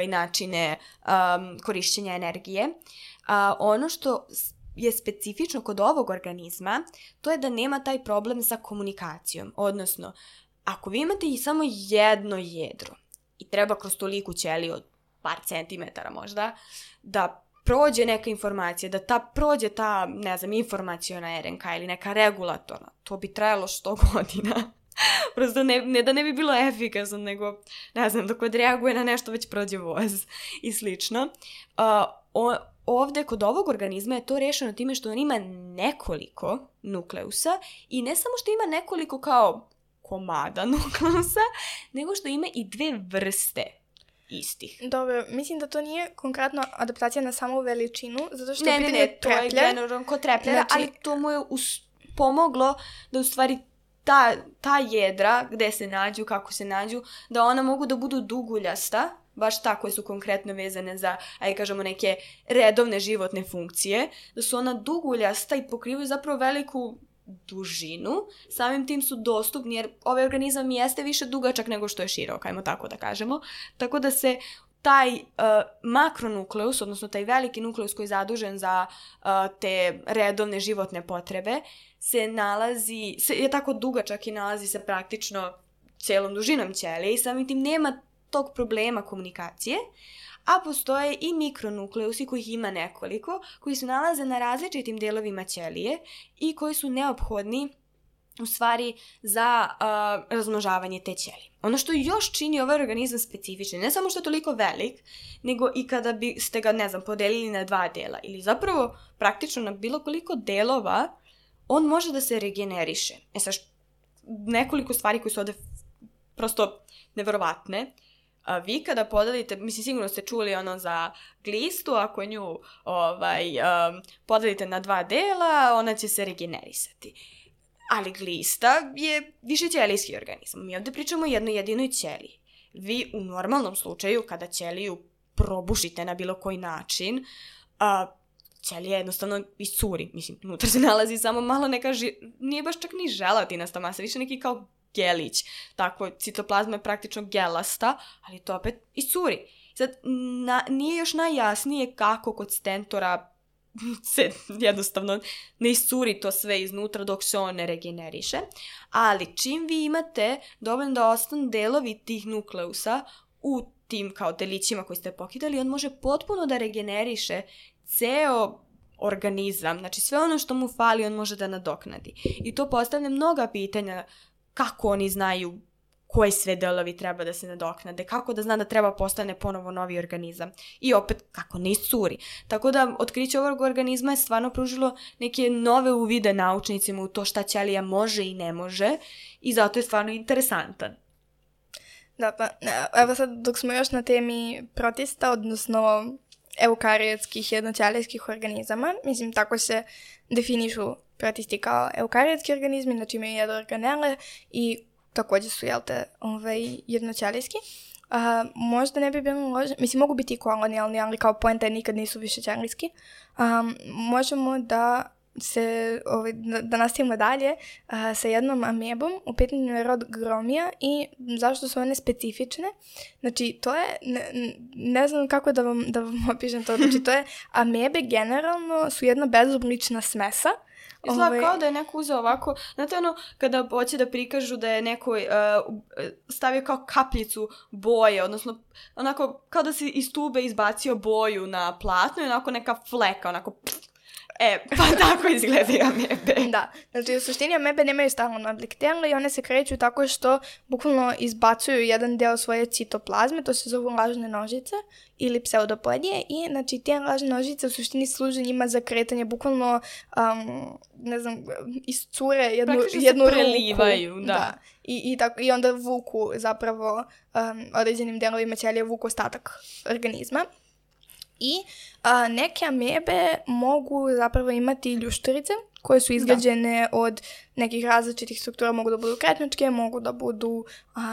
načine korišćenja energije. Ono što je specifično kod ovog organizma, to je da nema taj problem sa komunikacijom. Odnosno, ako vi imate i samo jedno jedro i treba kroz toliku ćeliju od par centimetara možda, da prođe neka informacija, da prođe ta, ne znam, informaciona RNK ili neka regulatorna, to bi trajalo 100 godina. Prosto ne da ne bi bilo efikasno, nego, ne znam, dok odreaguje na nešto već prođe voz i slično. Ovdje kod ovog organizma je to rešeno time što on ima nekoliko nukleusa i ne samo što ima nekoliko kao komada nukleusa, nego što ima i 2 vrste istih. Dobro, mislim da to nije konkretno adaptacija na samu veličinu, zato što ne, to je generalno kod trepljera, znači, ali to mu je pomoglo da u stvari ta jedra gde se nađu, kako se nađu, da ona mogu da budu duguljasta, baš tako koje su konkretno vezane za, ajde kažemo, neke redovne životne funkcije, da su ona duguljasta i pokrivaju zapravo veliku dužinu, samim tim su dostupni, jer ovaj organizam jeste više dugačak nego što je širok, ajmo tako da kažemo, tako da se taj makronukleus, odnosno taj veliki nukleus koji je zadužen za te redovne životne potrebe, je tako dugačak i nalazi se praktično cijelom dužinom ćelije i samim tim nema tog problema komunikacije, a postoje i mikronukleusi kojih ima nekoliko, koji se nalaze na različitim delovima ćelije i koji su neophodni u stvari za razmnožavanje te ćelije. Ono što još čini ovaj organizam specifični, ne samo što je toliko velik, nego i kada biste ga, ne znam, podelili na 2 dela ili zapravo praktično na bilo koliko delova, on može da se regeneriše. Sad, nekoliko stvari koje su ovdje prosto neverovatne. Vi kada podelite, mislim, sigurno ste čuli ono za glistu, ako nju podelite na 2 dela, ona će se regenerisati. Ali glista je višećelijski organizam. Mi ovdje pričamo o jednoj jedinoj ćeliji. Vi u normalnom slučaju, kada ćeliju probušite na bilo koji način, ćelija jednostavno iscuri. Mislim, unutra se nalazi samo malo neka, nije baš čak ni želatinasta masa, više neki kao gelić. Tako, citoplazma je praktično gelasta, ali to opet iscuri. Sad, nije još najjasnije kako kod Stentora se jednostavno ne iscuri to sve iznutra dok se on ne regeneriše, ali čim vi imate dovoljno da ostanu delovi tih nukleusa u tim kao delićima koji ste pokidali, on može potpuno da regeneriše ceo organizam, znači sve ono što mu fali on može da nadoknadi. I to postavlja mnoga pitanja, kako oni znaju koji sve delovi treba da se nadoknade, kako da zna da treba postane ponovo novi organizam i opet kako ne iscuri. Tako da otkriće ovog organizma je stvarno pružilo neke nove uvide naučnicima u to šta ćelija može i ne može i zato je stvarno interesantan. Da, pa evo sad dok smo još na temi protista, odnosno eukariotskih jednoćelijskih organizama, mislim tako se definišu protisti kao eukariotski organizmi, znači imaju jedne organele i također su, jednoćelijski. Možda ne bi bilo lože, mislim mogu biti i kolonijalni, ali kao poenta je nikad nisu višećelijski. Možemo da da nastavimo dalje sa jednom amebom, u pitanju je rod Gromia i zašto su one specifične. Znači, to je, ne znam kako da vam opišem to, znači to je, amebe generalno su jedna bezoblična smesa. Izgleda kao da je neko uzeo ovako, znate kada hoće da prikažu da je neko stavio kao kapljicu boje, odnosno onako kao da si iz tube izbacio boju na platno i onako neka fleka, onako pa tako izgledaju amebe. Da, znači u suštini amebe nemaju stalan oblik tela i one se kreću tako što bukvalno izbacuju jedan deo svoje citoplazme, to se zovu lažne nožice ili pseudopodije i znači te lažne nožice u suštini služe njima za kretanje, bukvalno iscure jednu se prelivaju, ruku. Da. I onda vuku zapravo određenim delovima ćelije vuku ostatak organizma. I neke amebe mogu zapravo imati ljušturice koje su izgrađene od nekih različitih struktura, mogu da budu kretničke, mogu da budu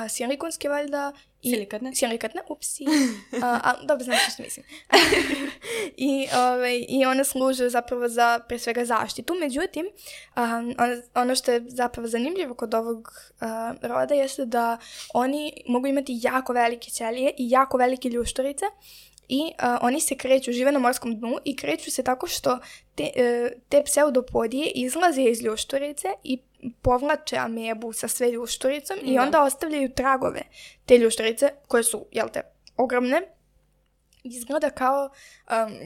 silikonske valjda. Silikatne, upsi. Dobro, znaš što mislim. I one služe zapravo za, pre svega, zaštitu. Međutim, ono što je zapravo zanimljivo kod ovog roda jeste da oni mogu imati jako velike ćelije i jako velike ljušturice. I oni se kreću, žive na morskom dnu i kreću se tako što te pseudopodije izlaze iz ljušturice i povlače amebu sa sve ljušturicom i onda ostavljaju tragove. Te ljušturice, koje su, ogromne, izgleda kao,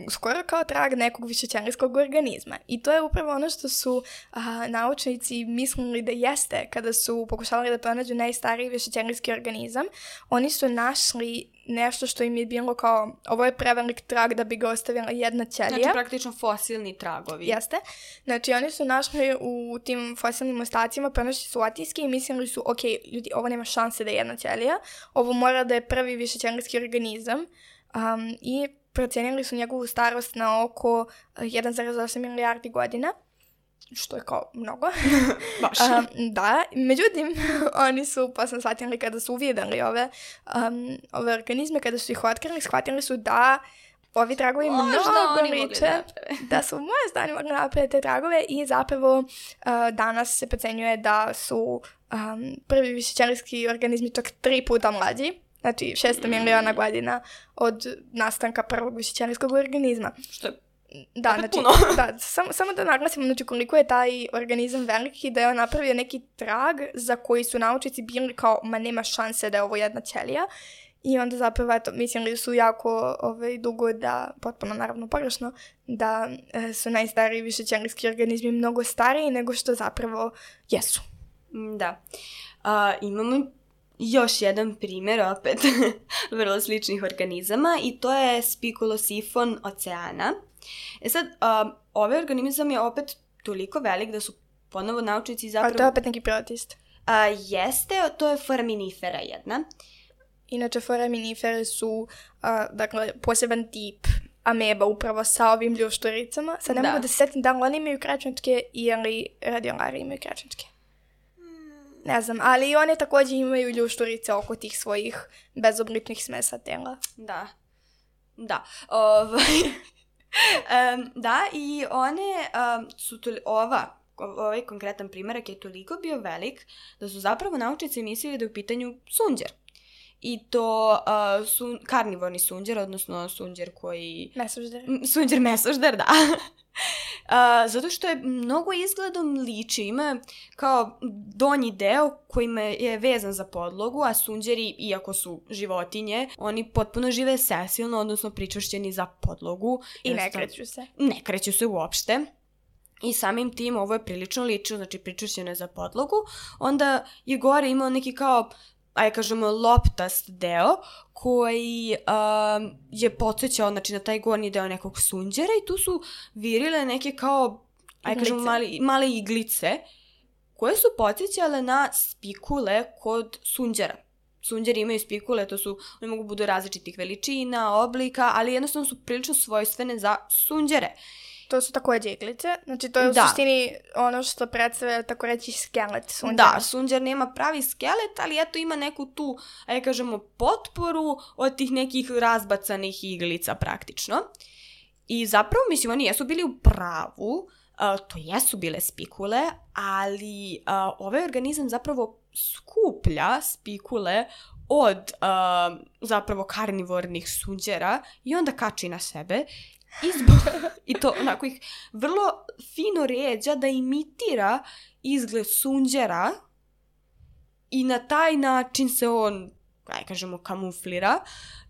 skoro kao trag nekog višećelijskog organizma. I to je upravo ono što su naučnici mislili da jeste kada su pokušavali da pronađu najstariji višećelijski organizam. Oni su našli nešto što im je bilo kao, ovo je prevelik trag da bi ga ostavila jedna ćelija. Znači praktično fosilni tragovi. Jeste. Znači oni su našli u tim fosilnim ostacima, pronašli su otiske i mislili su, ok, ljudi, ovo nema šanse da je jedna ćelija, ovo mora da je prvi višećelijski organizam. I procenili su njegovu starost na oko 1,8 milijardi godina, što je kao mnogo. Baš. Da, međutim, oni su posle shvatili kada su uvidjeli ove organizme, kada su ih otkrili, shvatili su da ovi tragovi mnogo liče, da su možda oni mogli napraviti te tragove i zapravo danas se procenjuje da su prvi višećelijski organizmi čak 3 puta mlađi. Znači 600 miliona godina od nastanka prvog višećelijskog organizma. Što je puno. Da, samo da naglasimo znači, koliko je taj organizam veliki, da je on napravio neki trag za koji su naučnici bili kao, ma nema šanse da je ovo jedna ćelija. I onda zapravo, mislili su jako dugo da, potpuno naravno pogrešno, da su najstariji višećelijski organizmi mnogo stariji nego što zapravo jesu. Da. Imamo još jedan primjer opet vrlo sličnih organizama i to je spikulosifon oceana. Sad, ovaj organizam je opet toliko velik da su ponovo naučnici zapravo... A to je opet neki protist. Jeste, to je foraminifera jedna. Inače, foraminifere su poseban tip ameba upravo sa ovim ljušturicama. Sad ne mogu da se setim da li oni imaju kračničke ili radiolari imaju kračničke. Ne znam, ali one također imaju ljušturice oko tih svojih bezobličnih smesa tela. Da. Da, i one su ovaj konkretan primjerak je toliko bio velik da su zapravo naučnici mislili da je u pitanju sunđer. I to karnivorni sunđer, odnosno sunđer koji... Mesožder. Sunđer mesožder, da. Zato što je mnogo izgledom liči, ima kao donji deo kojima je vezan za podlogu, a sunđeri, iako su životinje, oni potpuno žive sesilno, odnosno pričvršćeni za podlogu. I ne kreću se. Ne kreću se uopšte. I samim tim ovo je prilično ličilo, znači pričvršćeno je za podlogu. Onda je gore imao neki kao, kažemo, loptast deo koji je podsjećao znači, na taj gornji deo nekog sunđera i tu su virile neke kao, kažemo, male iglice koje su podsjećale na spikule kod sunđera. sunđeri imaju spikule, oni mogu budu različitih veličina, oblika, ali jednostavno su prilično svojstvene za sunđere. To su takođe iglice, znači to je u suštini ono što predstavlja, tako reći, skelet sunđera. Da, sunđer nema pravi skelet, ali eto ima neku tu, ajde kažemo, potporu od tih nekih razbacanih iglica praktično. I zapravo, mislim, oni jesu bili u pravu, to jesu bile spikule, ali ovaj organizam zapravo skuplja spikule od zapravo karnivornih sunđera i onda kači na sebe. I to onako ih vrlo fino ređa da imitira izgled sunđera i na taj način se on, aj kažemo, kamuflira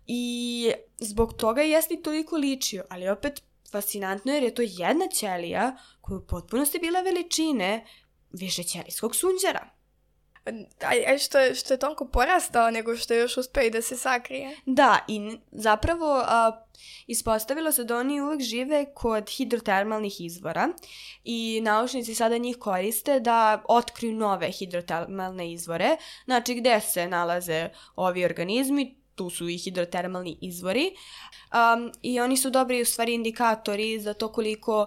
i zbog toga jeste i toliko ličio, ali opet fascinantno jer je to jedna ćelija koja u potpunosti bila veličine višećelijskog sunđera. Što je toliko porastao nego što je još uspeo i da se sakrije. Da, i zapravo ispostavilo se da oni uvek žive kod hidrotermalnih izvora i naučnici sada njih koriste da otkriju nove hidrotermalne izvore, znači gde se nalaze ovi organizmi, tu su i hidrotermalni izvori i oni su dobri u stvari indikatori za to koliko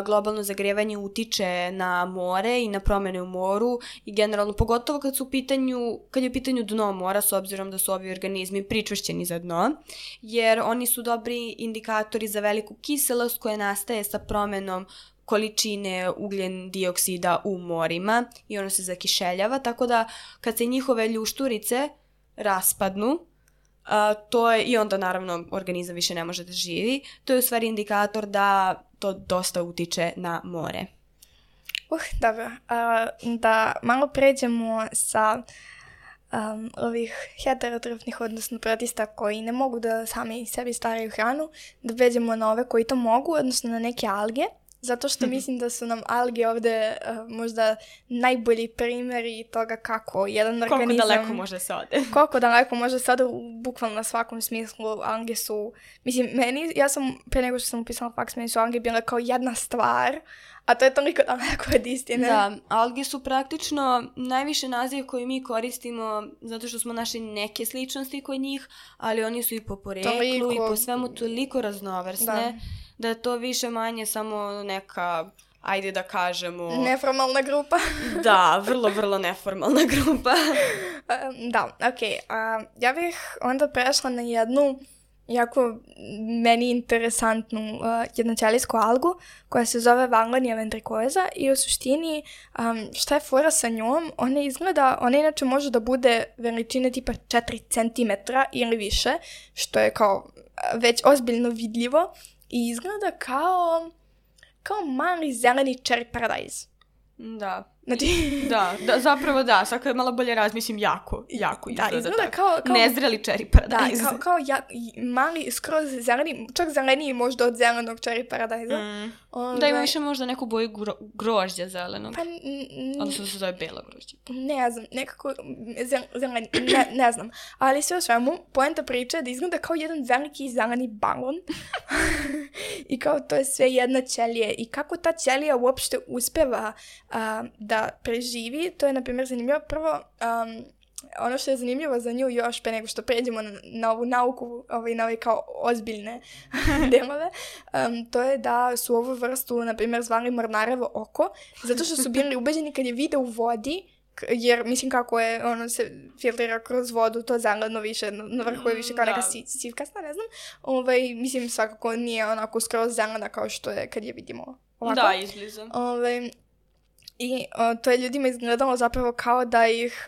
globalno zagrevanje utiče na more i na promene u moru i generalno pogotovo kad je u pitanju dno mora s obzirom da su ovi organizmi pričvršćeni za dno jer oni su dobri indikatori za veliku kiselost koja nastaje sa promenom količine ugljen dioksida u morima i ono se zakišeljava tako da kad se njihove ljušturice raspadnu to je, i onda naravno organizam više ne može da živi, to je u stvari indikator da to dosta utiče na more. Dobro. Da malo pređemo sa ovih heterotrofnih, odnosno protista koji ne mogu da sami sebi stvaraju hranu, da pređemo na ove koji to mogu, odnosno na neke alge. Zato što mislim da su nam alge ovde možda najbolji primjeri toga kako jedan organizam... Koliko daleko može se ode. Koliko daleko može se ode u bukvalno svakom smislu. Alge su... Mislim, ja sam, pre nego što sam upisala faks, meni su alge bile kao jedna stvar, a to je toliko daleko od istine. Da, alge su praktično najviše naziv koji mi koristimo zato što smo našli neke sličnosti kod njih, ali oni su i po poreklu i po svemu toliko raznovrsne. Da je to više manje samo neka, ajde da kažemo... Neformalna grupa. Da, vrlo, vrlo neformalna grupa. Da, okej. Ja bih onda prešla na jednu jako meni interesantnu jednoćelijsku algu koja se zove Wanglonia ventricosa i u suštini šta je fora sa njom? Ona inače može da bude veličine tipa 4 cm ili više, što je kao već ozbiljno vidljivo. I izgleda kao mali zeleni cherry paradise. Da. Znači... da, zapravo da. Sad kad malo bolje razmislim, jako izgleda. Da, izgleda kao... Nezreli cherry paradise. Da, kao mali, skroz zeleni, čak zeleniji možda od zelenog cherry paradise. Da, ima više možda neku boju grožđa zelenog. Pa... Odnosno se zove belo grožđe. Ne znam, nekako zeleni, ne znam. Ali sve o svemu, poenta priče je da izgleda kao jedan veliki zeleni balon. I kao to je sve jedna ćelija. I kako ta ćelija uopšte uspeva da preživi, to je na primjer zanimljivo. Prvo, ono što je zanimljivo za nju još pre nego što pređemo na ovu nauku, na ove kao ozbiljne delove, to je da su ovu vrstu, na primjer, zvali mornarevo oko, zato što su bili ubeđeni kad je vide u vodi, jer mislim kako je, ono se filtrira kroz vodu, to zeleno više, na vrhu je više kao neka sivkasta, ne znam. Mislim svakako nije onako skroz zelena kao što je kad je vidimo ovako. Da, izbliza. I to je ljudima izgledalo zapravo kao da ih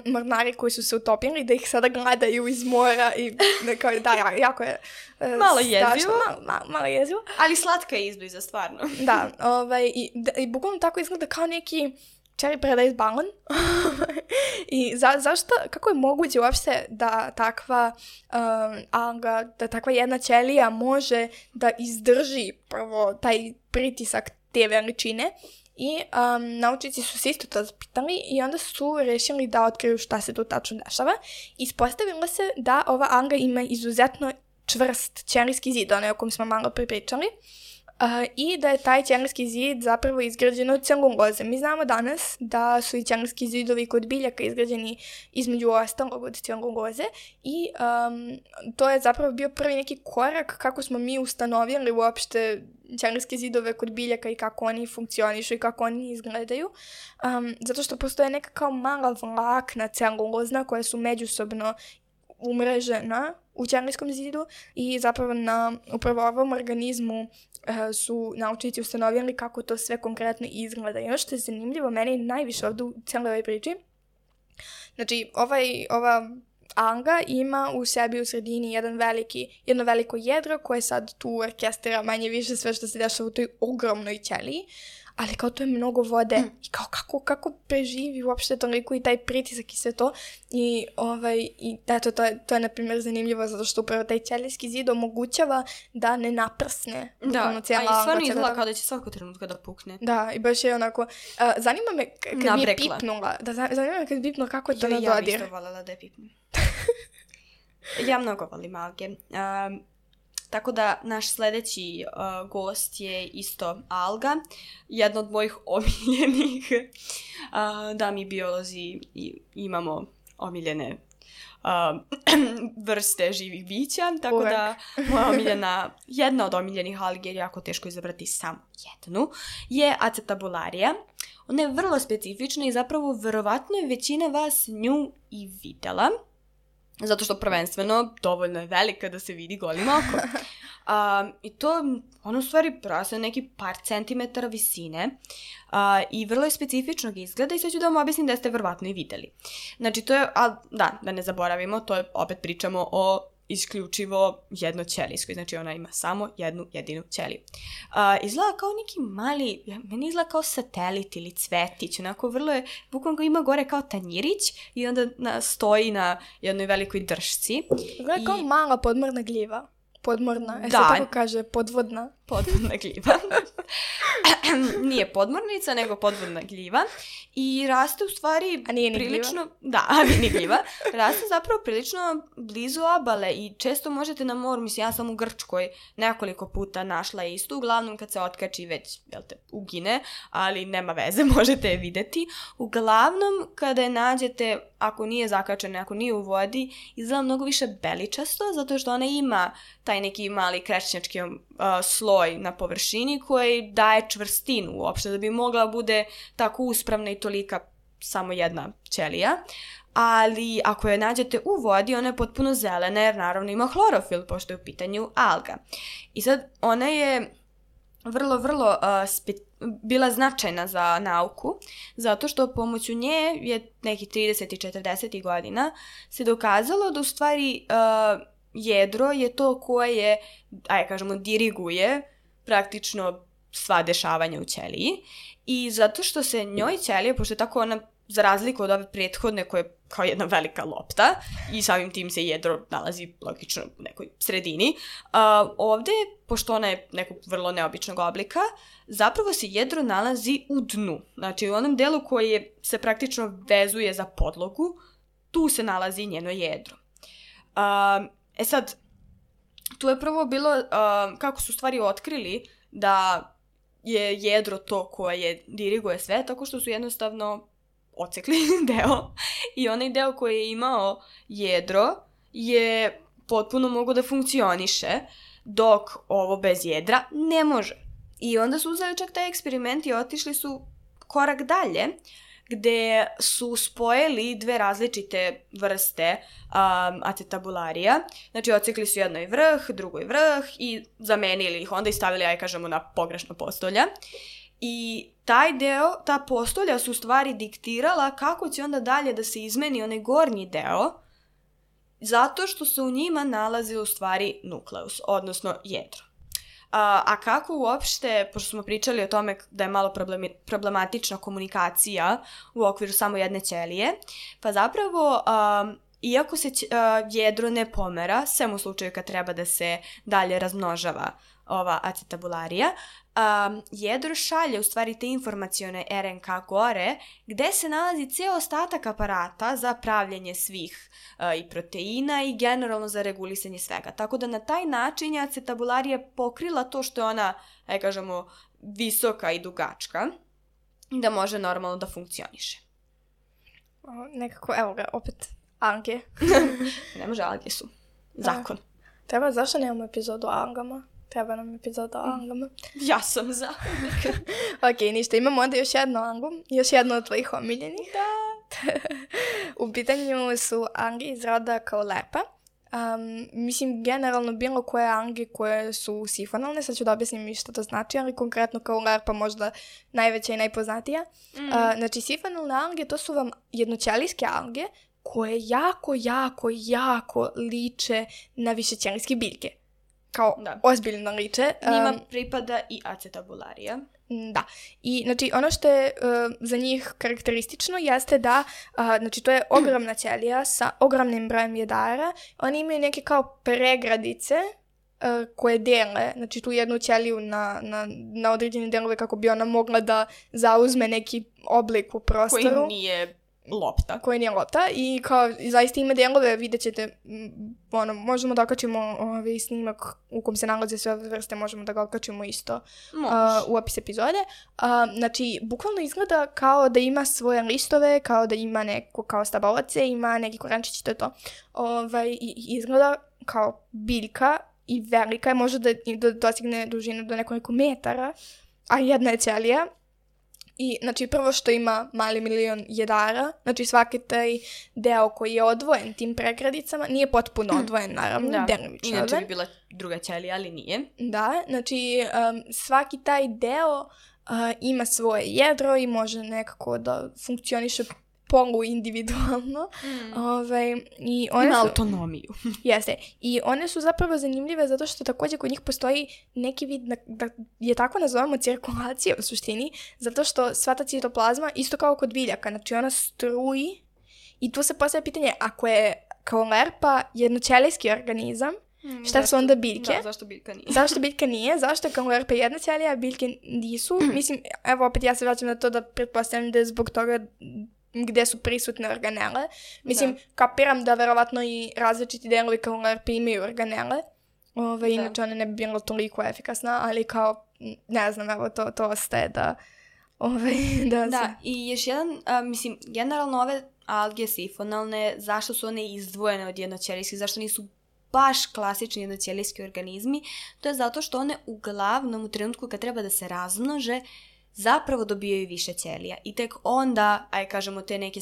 mornari koji su se utopili, da ih sada gledaju iz mora i kao, da, jako je malo jezivo. Malo jezivo. Ali slatka je izbliza, stvarno. Da, i bukvalno tako izgleda kao neki cherry paradise balon. I zašto, kako je moguće uopšte da takva alga, da takva jedna ćelija može da izdrži prvo taj pritisak te veličine? I naučnici su se isto to zapitali i onda su rešili da otkriju šta se tu tačno dešava. Ispostavilo se da ova alga ima izuzetno čvrst ćelijski zid, onaj o kom smo malo pripričali. i da je taj ćelijski zid zapravo izgrađen od celuloze. Mi znamo danas da su i ćelijski zidovi kod biljaka izgrađeni između ostalog od celuloze i to je zapravo bio prvi neki korak kako smo mi ustanovili uopšte ćelijske zidove kod biljaka i kako oni funkcionišu i kako oni izgledaju. Zato što postoje neka kao mala vlakna celulozna koja su međusobno umrežena u ćelijskom zidu i zapravo na upravo ovom organizmu su naučnici ustanovili kako to sve konkretno izgleda. I ono što je zanimljivo meni najviše ovdje u cijeloj ovoj priči, znači ova alga ima u sebi u sredini jedno veliko jedro koje sad tu orkestrira manje više sve što se dešava u toj ogromnoj ćeliji, ali kao to je mnogo vode i kao kako preživi uopšte toliko i taj pritisak i sve to i eto to je na primjer zanimljivo zato što upravo taj ćelijski zid omogućava da ne naprsne. Da, a i stvarno izgleda kao da će svako trenutka da pukne. Da, i baš je onako, zanima me kad mi je pipnula, zanima me kad bi pipnula kako je to na dodir. Ja bih isto voljela da je pipnu. Ja mnogo volim alge. Tako da naš sledeći gost je isto alga, jedna od mojih omiljenih. Da, mi biolozi imamo omiljene vrste živih bića, tako da jedna od omiljenih algi, jer jako teško izabrati samo jednu, je Acetabularia. Ona je vrlo specifična i zapravo verovatno je većina vas nju i videla, zato što prvenstveno dovoljno je velika da se vidi golim okom. I to, ono u stvari raste neki par centimetara visine i vrlo je specifičnog izgleda i sad ću da vam objasnim da ste verovatno i videli. Znači to je, da ne zaboravimo, to je, opet pričamo o isključivo jednoćelijskoj, znači ona ima samo jednu jedinu ćeliju. Izgleda kao neki mali, meni izgleda kao satelit ili cvetić, onako vrlo je, bukvalno ima gore kao tanjirić i onda stoji na jednoj velikoj dršci. Izgleda kao mala podmorna gljiva. Podmorna, se tako kaže, podvodna. Podvodna gljiva. Nije podmornica, nego podvodna gljiva. I raste u stvari prilično... Gljiva. Da, nije gljiva. Raste zapravo prilično blizu obale i često možete na moru, mislim, ja sam u Grčkoj nekoliko puta našla istu, uglavnom kad se otkači već, ugine, ali nema veze, možete je videti. Uglavnom, kada je nađete, ako nije zakačena, ako nije u vodi, izgleda mnogo više beličasto, zato što ona ima taj neki mali krečnjački sloj na površini koji daje čvrstinu uopšte, da bi mogla bude tako uspravna i tolika samo jedna ćelija. Ali ako je nađete u vodi, ona je potpuno zelena jer naravno ima hlorofil, pošto je u pitanju alga. I sad ona je vrlo bila značajna za nauku, zato što pomoću nje je neki 30 i 40 godina se dokazalo da u stvari jedro je to koje, diriguje praktično sva dešavanja u ćeliji i zato što se njoj ćelija, pošto je tako ona za razliku od ove prethodne koja je kao jedna velika lopta i samim tim se jedro nalazi logično u nekoj sredini, ovde, pošto ona je nekog vrlo neobičnog oblika, zapravo se jedro nalazi u dnu. Znači u onom delu koji se praktično vezuje za podlogu, tu se nalazi njeno jedro. Sad, tu je prvo bilo kako su stvari otkrili da je jedro to koje diriguje sve, tako što su jednostavno ocekli deo i onaj deo koji je imao jedro je potpuno mogao da funkcioniše, dok ovo bez jedra ne može. I onda su uzeli čak taj eksperiment i otišli su korak dalje, gde su spojili dve različite vrste Acetabularia. Znači, ocekli su jednoj vrh, drugoj vrh i zamenili ih onda i stavili, na pogrešno postolja. I taj deo, ta postolja su u stvari diktirala kako će onda dalje da se izmeni onaj gornji deo, zato što se u njima nalazi u stvari nukleus, odnosno jedro. A kako uopšte, pošto smo pričali o tome da je malo problematična komunikacija u okviru samo jedne ćelije, pa zapravo iako se jedro ne pomera, sem u slučaju kad treba da se dalje razmnožava ova acetabularija, jedro šalje u stvari te informacione RNK gore, gde se nalazi ceo ostatak aparata za pravljenje svih i proteina i generalno za regulisanje svega. Tako da na taj način je acetabularija pokrila to što je ona, kažemo, visoka i dugačka, da može normalno da funkcioniše. Nekako, evo ga, opet alge. Ne može, alge su zakon. Zašto nemamo epizodu o algama? Treba nam epizoda o algama. Ja sam za. Ok, ništa, imamo onda još jednu algu, još jednu od tvojih omiljenih. Da. U pitanju su alge iz roda Caulerpa. Mislim, generalno bilo koje alge koje su sifonalne, sad ću da objasnim i što to znači, ali konkretno Caulerpa možda najveća i najpoznatija. Znači, sifonalne alge, to su vam jednoćelijske alge koje jako liče na višećelijske biljke. Kao ozbiljno liče. Njima pripada i acetabularija. Da. I znači ono što je za njih karakteristično jeste da, znači to je ogromna ćelija sa ogromnim brojem jedara. Oni imaju neke kao pregradice koje dele, znači tu jednu ćeliju na određene delove kako bi ona mogla da zauzme neki oblik u prostoru. Koji nije lopta i kao zaista ima delove, vidjet ćete, možemo da okačimo snimak u kom se nalaze sve ove vrste, možemo da ga okačimo isto u opis epizode. Znači, bukvalno izgleda kao da ima svoje listove, kao da ima neko kao stabalace, ima neki korenčić, to je to. Izgleda kao biljka i velika je, može da dostigne dužinu do nekoliko metara, a jedna je ćelija. I, znači, prvo što ima mali milion jedara, znači svaki taj deo koji je odvojen tim pregradicama, nije potpuno odvojen, naravno, delimično odvojen. Inače bi bila druga ćelija, ali nije. Da, znači svaki taj deo ima svoje jedro i može nekako da funkcioniše poluindividualno. Ima autonomiju. Jeste. I one su zapravo zanimljive zato što također kod njih postoji neki vid, da je tako nazovemo, cirkulacija u suštini, zato što sva ta citoplazma, isto kao kod biljaka, znači ona struji i tu se postavlja pitanje, ako je Caulerpa jednoćelijski organizam, šta su onda biljke? Da, zašto biljka nije? Zašto biljka nije? Zašto je Caulerpa jedna ćelija, a biljke nisu? Mislim, evo opet ja se vraćam na to da pretpostavljam da je zbog toga gde su prisutne organele. Mislim, kapiram da verovatno i različiti delovi Caulerpe imaju organele. Inače one ne bi bilo toliko efikasna, ali kao, ne znam, evo to ostaje da... Da, i još jedan, mislim, generalno ove alge sifonalne, zašto su one izdvojene od jednoćelijskih, zašto nisu baš klasični jednoćelijski organizmi, to je zato što one uglavnom u trenutku kad treba da se razmnože, zapravo dobijaju više ćelija. I tek onda, kažemo, te neke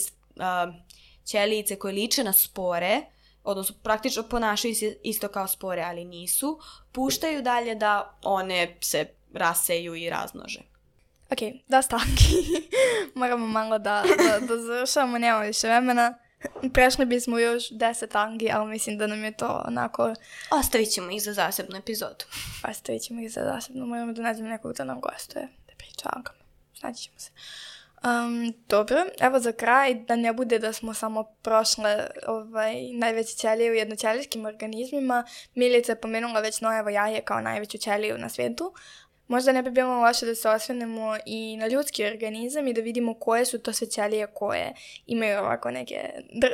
ćelijice koje liče na spore, odnosno praktično ponašaju se isto kao spore, ali nisu, puštaju dalje da one se raseju i razmnože. Ok, da stanki. Moramo malo da završamo, nemamo više vremena. Prešli bismo još 10 tangi, ali mislim da nam je to onako... Ostavit ćemo ih za zasebnu epizodu. Moramo da nađemo nekog da nam gostuje. Da priča algama. Snaći ćemo se. Dobro, evo za kraj, da ne bude da smo samo prošle najveće ćelije u jednoćelijskim organizmima. Milica je pomenula već nojevo jaje kao najveću ćeliju na svijetu. Možda ne bi bilo loše da se osvrnemo i na ljudski organizam i da vidimo koje su to sve ćelije koje imaju ovako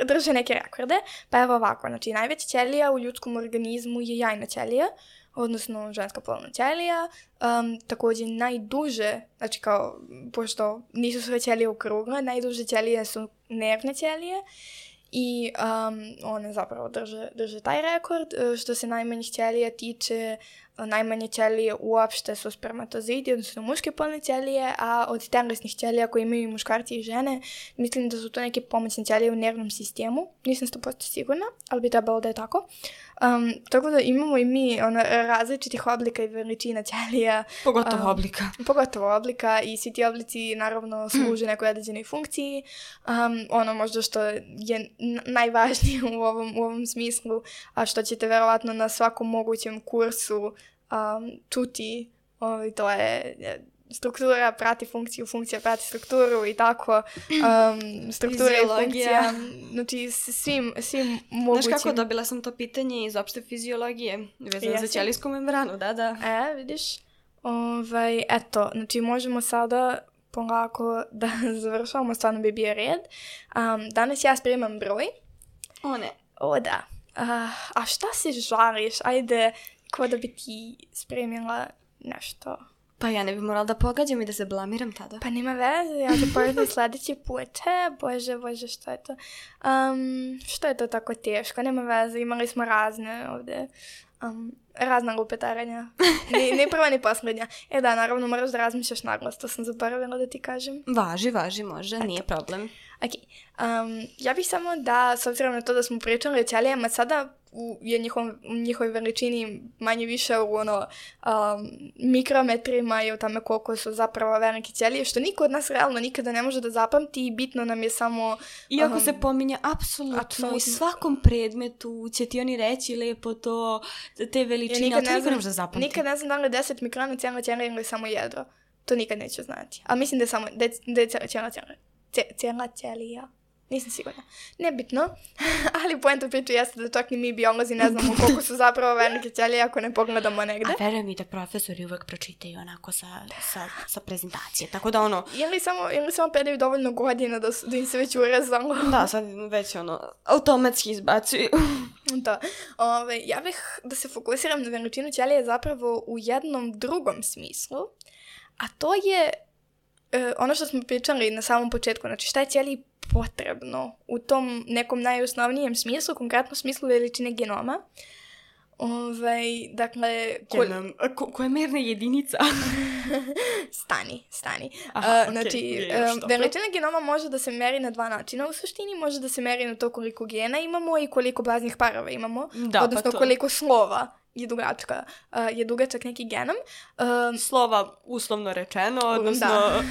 drže neke rekorde. Pa evo ovako, znači najveća ćelija u ljudskom organizmu je jajna ćelija, odnosno ženska polna ćelija. Također najduže, znači kao, pošto nisu sve ćelije okrugle, najduže ćelije su nervne ćelije i one zapravo drže taj rekord. Što se najmanjih ćelija tiče, najmanje ćelije uopšte su spermatozoidi, odnosno muške polne ćelije, a od telesnih ćelija koje imaju i muškarci i žene, mislim da su to neke pomoćne ćelije u nervnom sistemu. Nisam 100% sigurna, ali bi trebalo da je tako. Tako da imamo i mi različitih oblika i veličina ćelija. Pogotovo oblika i svi ti oblici naravno služe nekoj određenoj funkciji. Ono možda što je najvažnije u ovom smislu, a što ćete verovatno na svakom mogućem kursu čuti, to je struktura prati funkciju, funkcija prati strukturu i tako, struktura i funkcija, znači svim mogućim. Znaš kako, dobila sam to pitanje iz opšte fiziologije, vezano za ćelijsku membranu, da. Vidiš, eto, znači možemo sada polako da završavamo, stvarno bi bio red. Danas ja spremam broj. O ne. O da. A šta se žališ? Ajde, ko da bi ti spremila nešto? Pa ja ne bi morala da pogađam i da se blamiram tada. Pa nema veze, ja ću povedati sljedeći put. Bože, što je to? Što je to tako teško? Nema veze, imali smo razne ovdje. Razna lupetarenja. Ni prva, ni posljednja. Da, naravno moraš da razmišljaš naglas, to sam zaboravila da ti kažem. Važi, može, nije problem. Ok, ja bih samo da, s obzirom na to da smo pričali o ćelijama, sada je njihovoj veličini manje više u mikrometrima i u tome koliko su zapravo velike ćelije, što niko od nas realno nikada ne može da zapamti i bitno nam je samo... Iako se pominje apsolutno u svakom predmetu će ti oni reći lepo to, te veličine, ali to niko ne može da zapamti. Nikad ne znam da li je 10 mikrona cijela ćelija ili samo jedro. To nikad neću znati. Ali mislim da je cijela ćelija. Nisam sigurna. Nebitno, ali poenta priče jeste da čak ni mi biolozi ne znamo koliko su zapravo velike ćelije ako ne pogledamo negde. A verujem mi da profesori uvek pročitaju onako sa prezentacije, tako da ono... Ili samo predaju dovoljno godina da im se već urezalo. Da, sad već automatski izbacuju. Da. Ja bih da se fokusiram na veličinu ćelije zapravo u jednom drugom smislu, a to je ono što smo pričali na samom početku, znači šta je ćeliji potrebno u tom nekom najosnovnijem smislu, konkretno smislu veličine genoma. Dakle... Koja je merna jedinica? Stani. Znači, veličina genoma može da se meri na dva načina. U suštini može da se meri na to koliko gena imamo i koliko baznih parova imamo. Odnosno koliko slova je dugačak neki genom. Slova uslovno rečeno, odnosno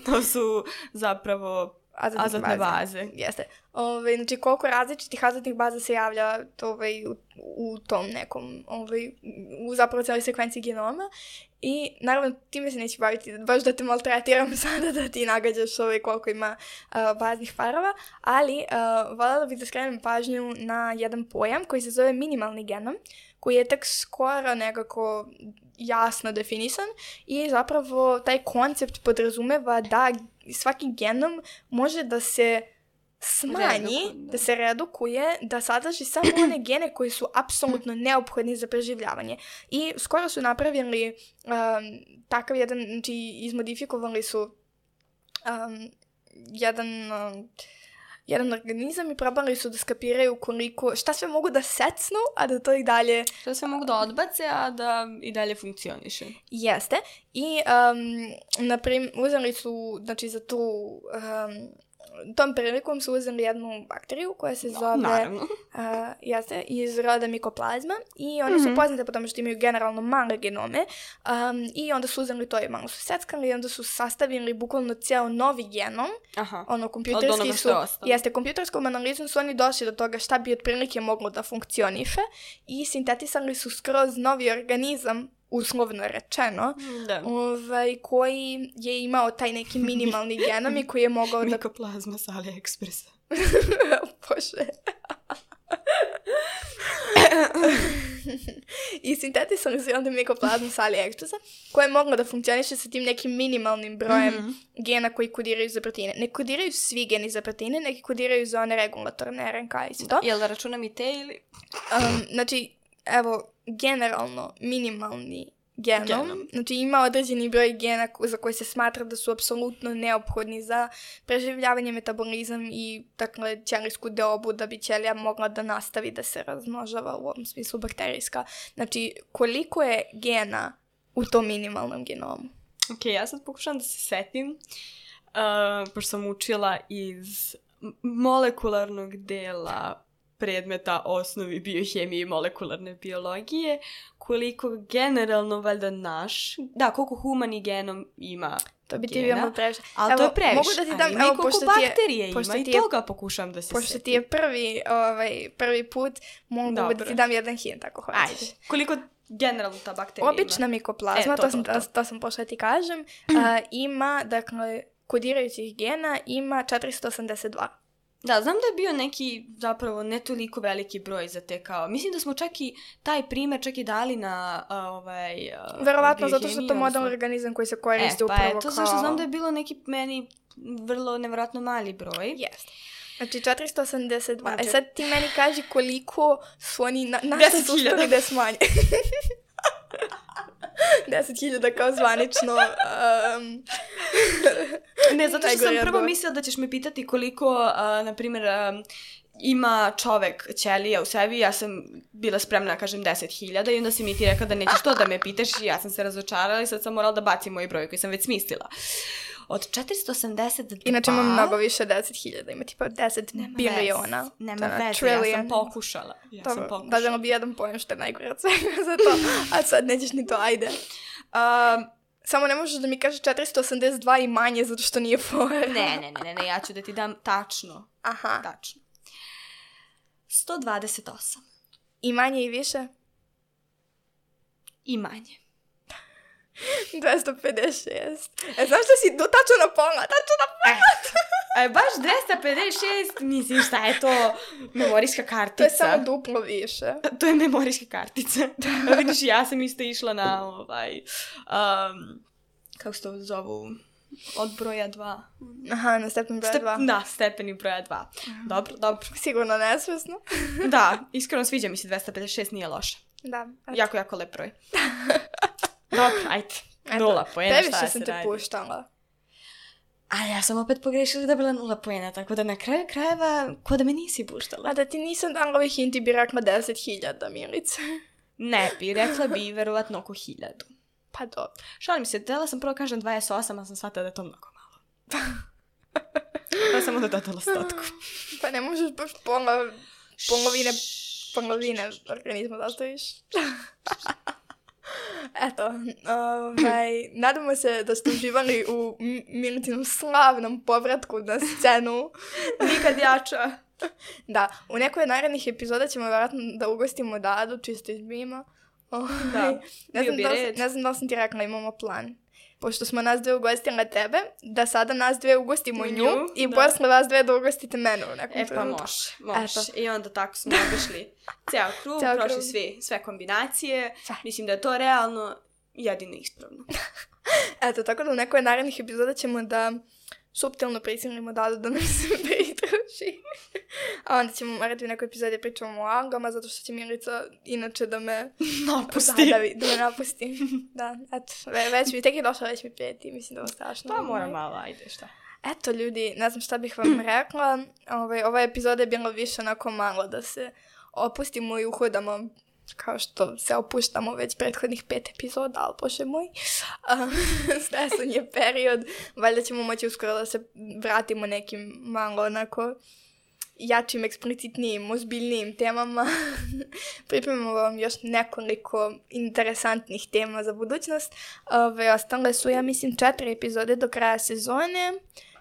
to su zapravo azotne baze. Jeste. Znači koliko različitih azotnih baza se javlja u tom nekom, u zapravo cijeloj sekvenciji genoma. I naravno time se neću baviti, baš da te maltretiram sada da ti nagađaš koliko ima baznih parova, ali voljela bih da skrenem pažnju na jedan pojam koji se zove minimalni genom, koji je tek skoro nekako jasno definisan i zapravo taj koncept podrazumeva da svaki genom može da se smanji, da se redukuje, da sadrži samo one gene koji su apsolutno neophodni za preživljavanje. I skoro su napravili takav jedan, znači izmodifikovali su jedan organizam i probali su da skapiraju šta sve mogu da secnu, a da to i dalje... Šta sve mogu da odbace, a da i dalje funkcioniše. Jeste. I, naprimjer, uzeli su, znači za tom prilikom su uzeli jednu bakteriju koja se zove iz roda mikoplazma i one su poznate po tome što imaju generalno male genome i onda su uzeli to i malo su seckali i onda su sastavili bukvalno cijel novi genom. Kompjuterskom analizom su oni došli do toga šta bi otprilike moglo da funkcioniše i sintetisali su skroz novi organizam, uslovno rečeno, koji je imao taj neki minimalni genom i koji je mogao da... Mikoplazma s AliExpressa. Bože. I sintetisali su onda mikoplazmu s AliExpressa, koja je mogla da funkcioniše sa tim nekim minimalnim brojem gena koji kodiraju za proteine. Ne kodiraju svi geni za proteine, neki kodiraju za one regulatorne RNK i to. Jel da računam i te ili... Znači, evo, generalno minimalni genom. Znači ima određeni broj gena za koje se smatra da su apsolutno neophodni za preživljavanje, metabolizam i dakle ćelijsku deobu da bi ćelija mogla da nastavi da se razmnožava, u ovom smislu bakterijska. Znači koliko je gena u tom minimalnom genomu? Ok, ja sad pokušam da se setim, pošto sam učila iz molekularnog dela predmeta osnovi biohemije i molekularne biologije, koliko generalno valjda koliko humani genom ima to bi ti bio malo previše. Ali to je previše. Mogu da ti dam, ali koliko bakterije ima i toga pokušam da se pošto ti je prvi put, mogu da ti dam jedan hint ako hoćeš. Ajde. Koliko generalno ta bakterija Obična mikoplazma, to sam pošla ti kažem, ima, dakle, kodirajućih gena ima 482. Da, znam da je bio neki zapravo ne toliko veliki broj za te kao... Mislim da smo čak i taj primer čak i dali na verovatno zato što to model organizam koji se koristi upravo kao... to zašto znam da je bilo neki meni vrlo nevjerojatno mali broj. Jeste. Znači 482. Sad ti meni kaži koliko su oni našta su uspeli da smanje. 10.000 kao zvanično. Ne, zato što sam prvo mislila da ćeš me pitati koliko, na primjer, ima čovek ćelija u sebi. Ja sam bila spremna da kažem 10.000 i onda si mi ti rekla da nećeš to da me pitaš i ja sam se razočarala i sad sam morala da bacim moj broj koji sam već smislila. Od 482... Inače imam mnogo više 10.000, ima tipa 10 biliona. Nema veze, ja sam pokušala. Da bi jedan pojem što je najgore od svega za to, a sad nećeš ni to, ajde. Samo ne možeš da mi kažeš 482 i manje zato što nije fora. Ne, ja ću da ti dam tačno. Aha. Tačno. 128. I manje i više? I manje. 256. Znaš što si tačno na pola? Baš 256, mislim šta je to memorijska kartica. To je samo duplo više. To je memorijska kartica. Vidiš, ja sam isto išla na kako se to zovu, od broja 2. Aha, na stepen broja 2. Da, stepeni broja 2. Dobro. Sigurno nesvesno. Da, iskreno sviđa mi se 256, nije loše. Da. Jako lep broj. Dobro, ajde. 0 poena, šta se radi. Previše sam te puštala. A ja sam opet pogrešila da bila 0 poena, tako da na kraju krajeva, ko da me nisi puštala. A da ti nisam dala ovih hinti bi rekla 10.000, Milice. Ne bi, rekla bi verovatno oko 1.000. Pa dobro. Šalim se, htjela sam prvo kažem 28, a sam shvatila da je to mnogo malo. Pa sam onda dodala statku. Pa ne možeš baš polovine organizma da ostaviš. Eto, nadamo se da ste uživali u Milicinom slavnom povratku na scenu. Nikad jača. Da, u nekoj narednih epizoda ćemo vjerojatno da ugostimo Dadu, čisto iz Bima. Da, ne znam da li sam ti rekla, imamo plan. Pošto smo nas dve ugostile tebe, da sada nas dve ugostimo nju i posle vas dve da ugostite mene u nekom trenutku. Pa može. I onda tako smo obišli ceo krug, prošli sve kombinacije. Mislim da je to realno jedino ispravno. Eto, tako da u nekoj narednih epizoda ćemo da suptilno prisilimo Dadu da nam se pridruži. A onda ćemo morati u nekoj epizodi pričamo o algama, zato što će Milica inače da me napusti. Da me napusti. Da, eto, već mi tek je došla, već mi prijeti, mislim da je ovo strašno. Pa mora malo, ajde, šta. Eto, ljudi, ne znam šta bih vam rekla. Ova epizoda je bila više onako malo da se opustimo i uhodamo kao što se opuštamo već prethodnih 5 epizoda, ali bože moj, stresan je period, valjda ćemo moći uskoro da se vratimo nekim malo onako jačim, eksplicitnijim, ozbiljnijim temama. Pripremamo vam još nekoliko interesantnih tema za budućnost. Ostale su, ja mislim, 4 epizode do kraja sezone,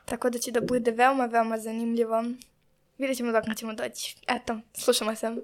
tako da će da bude veoma, veoma zanimljivo. Vidjet ćemo dok ćemo doći. Eto, slušamo se.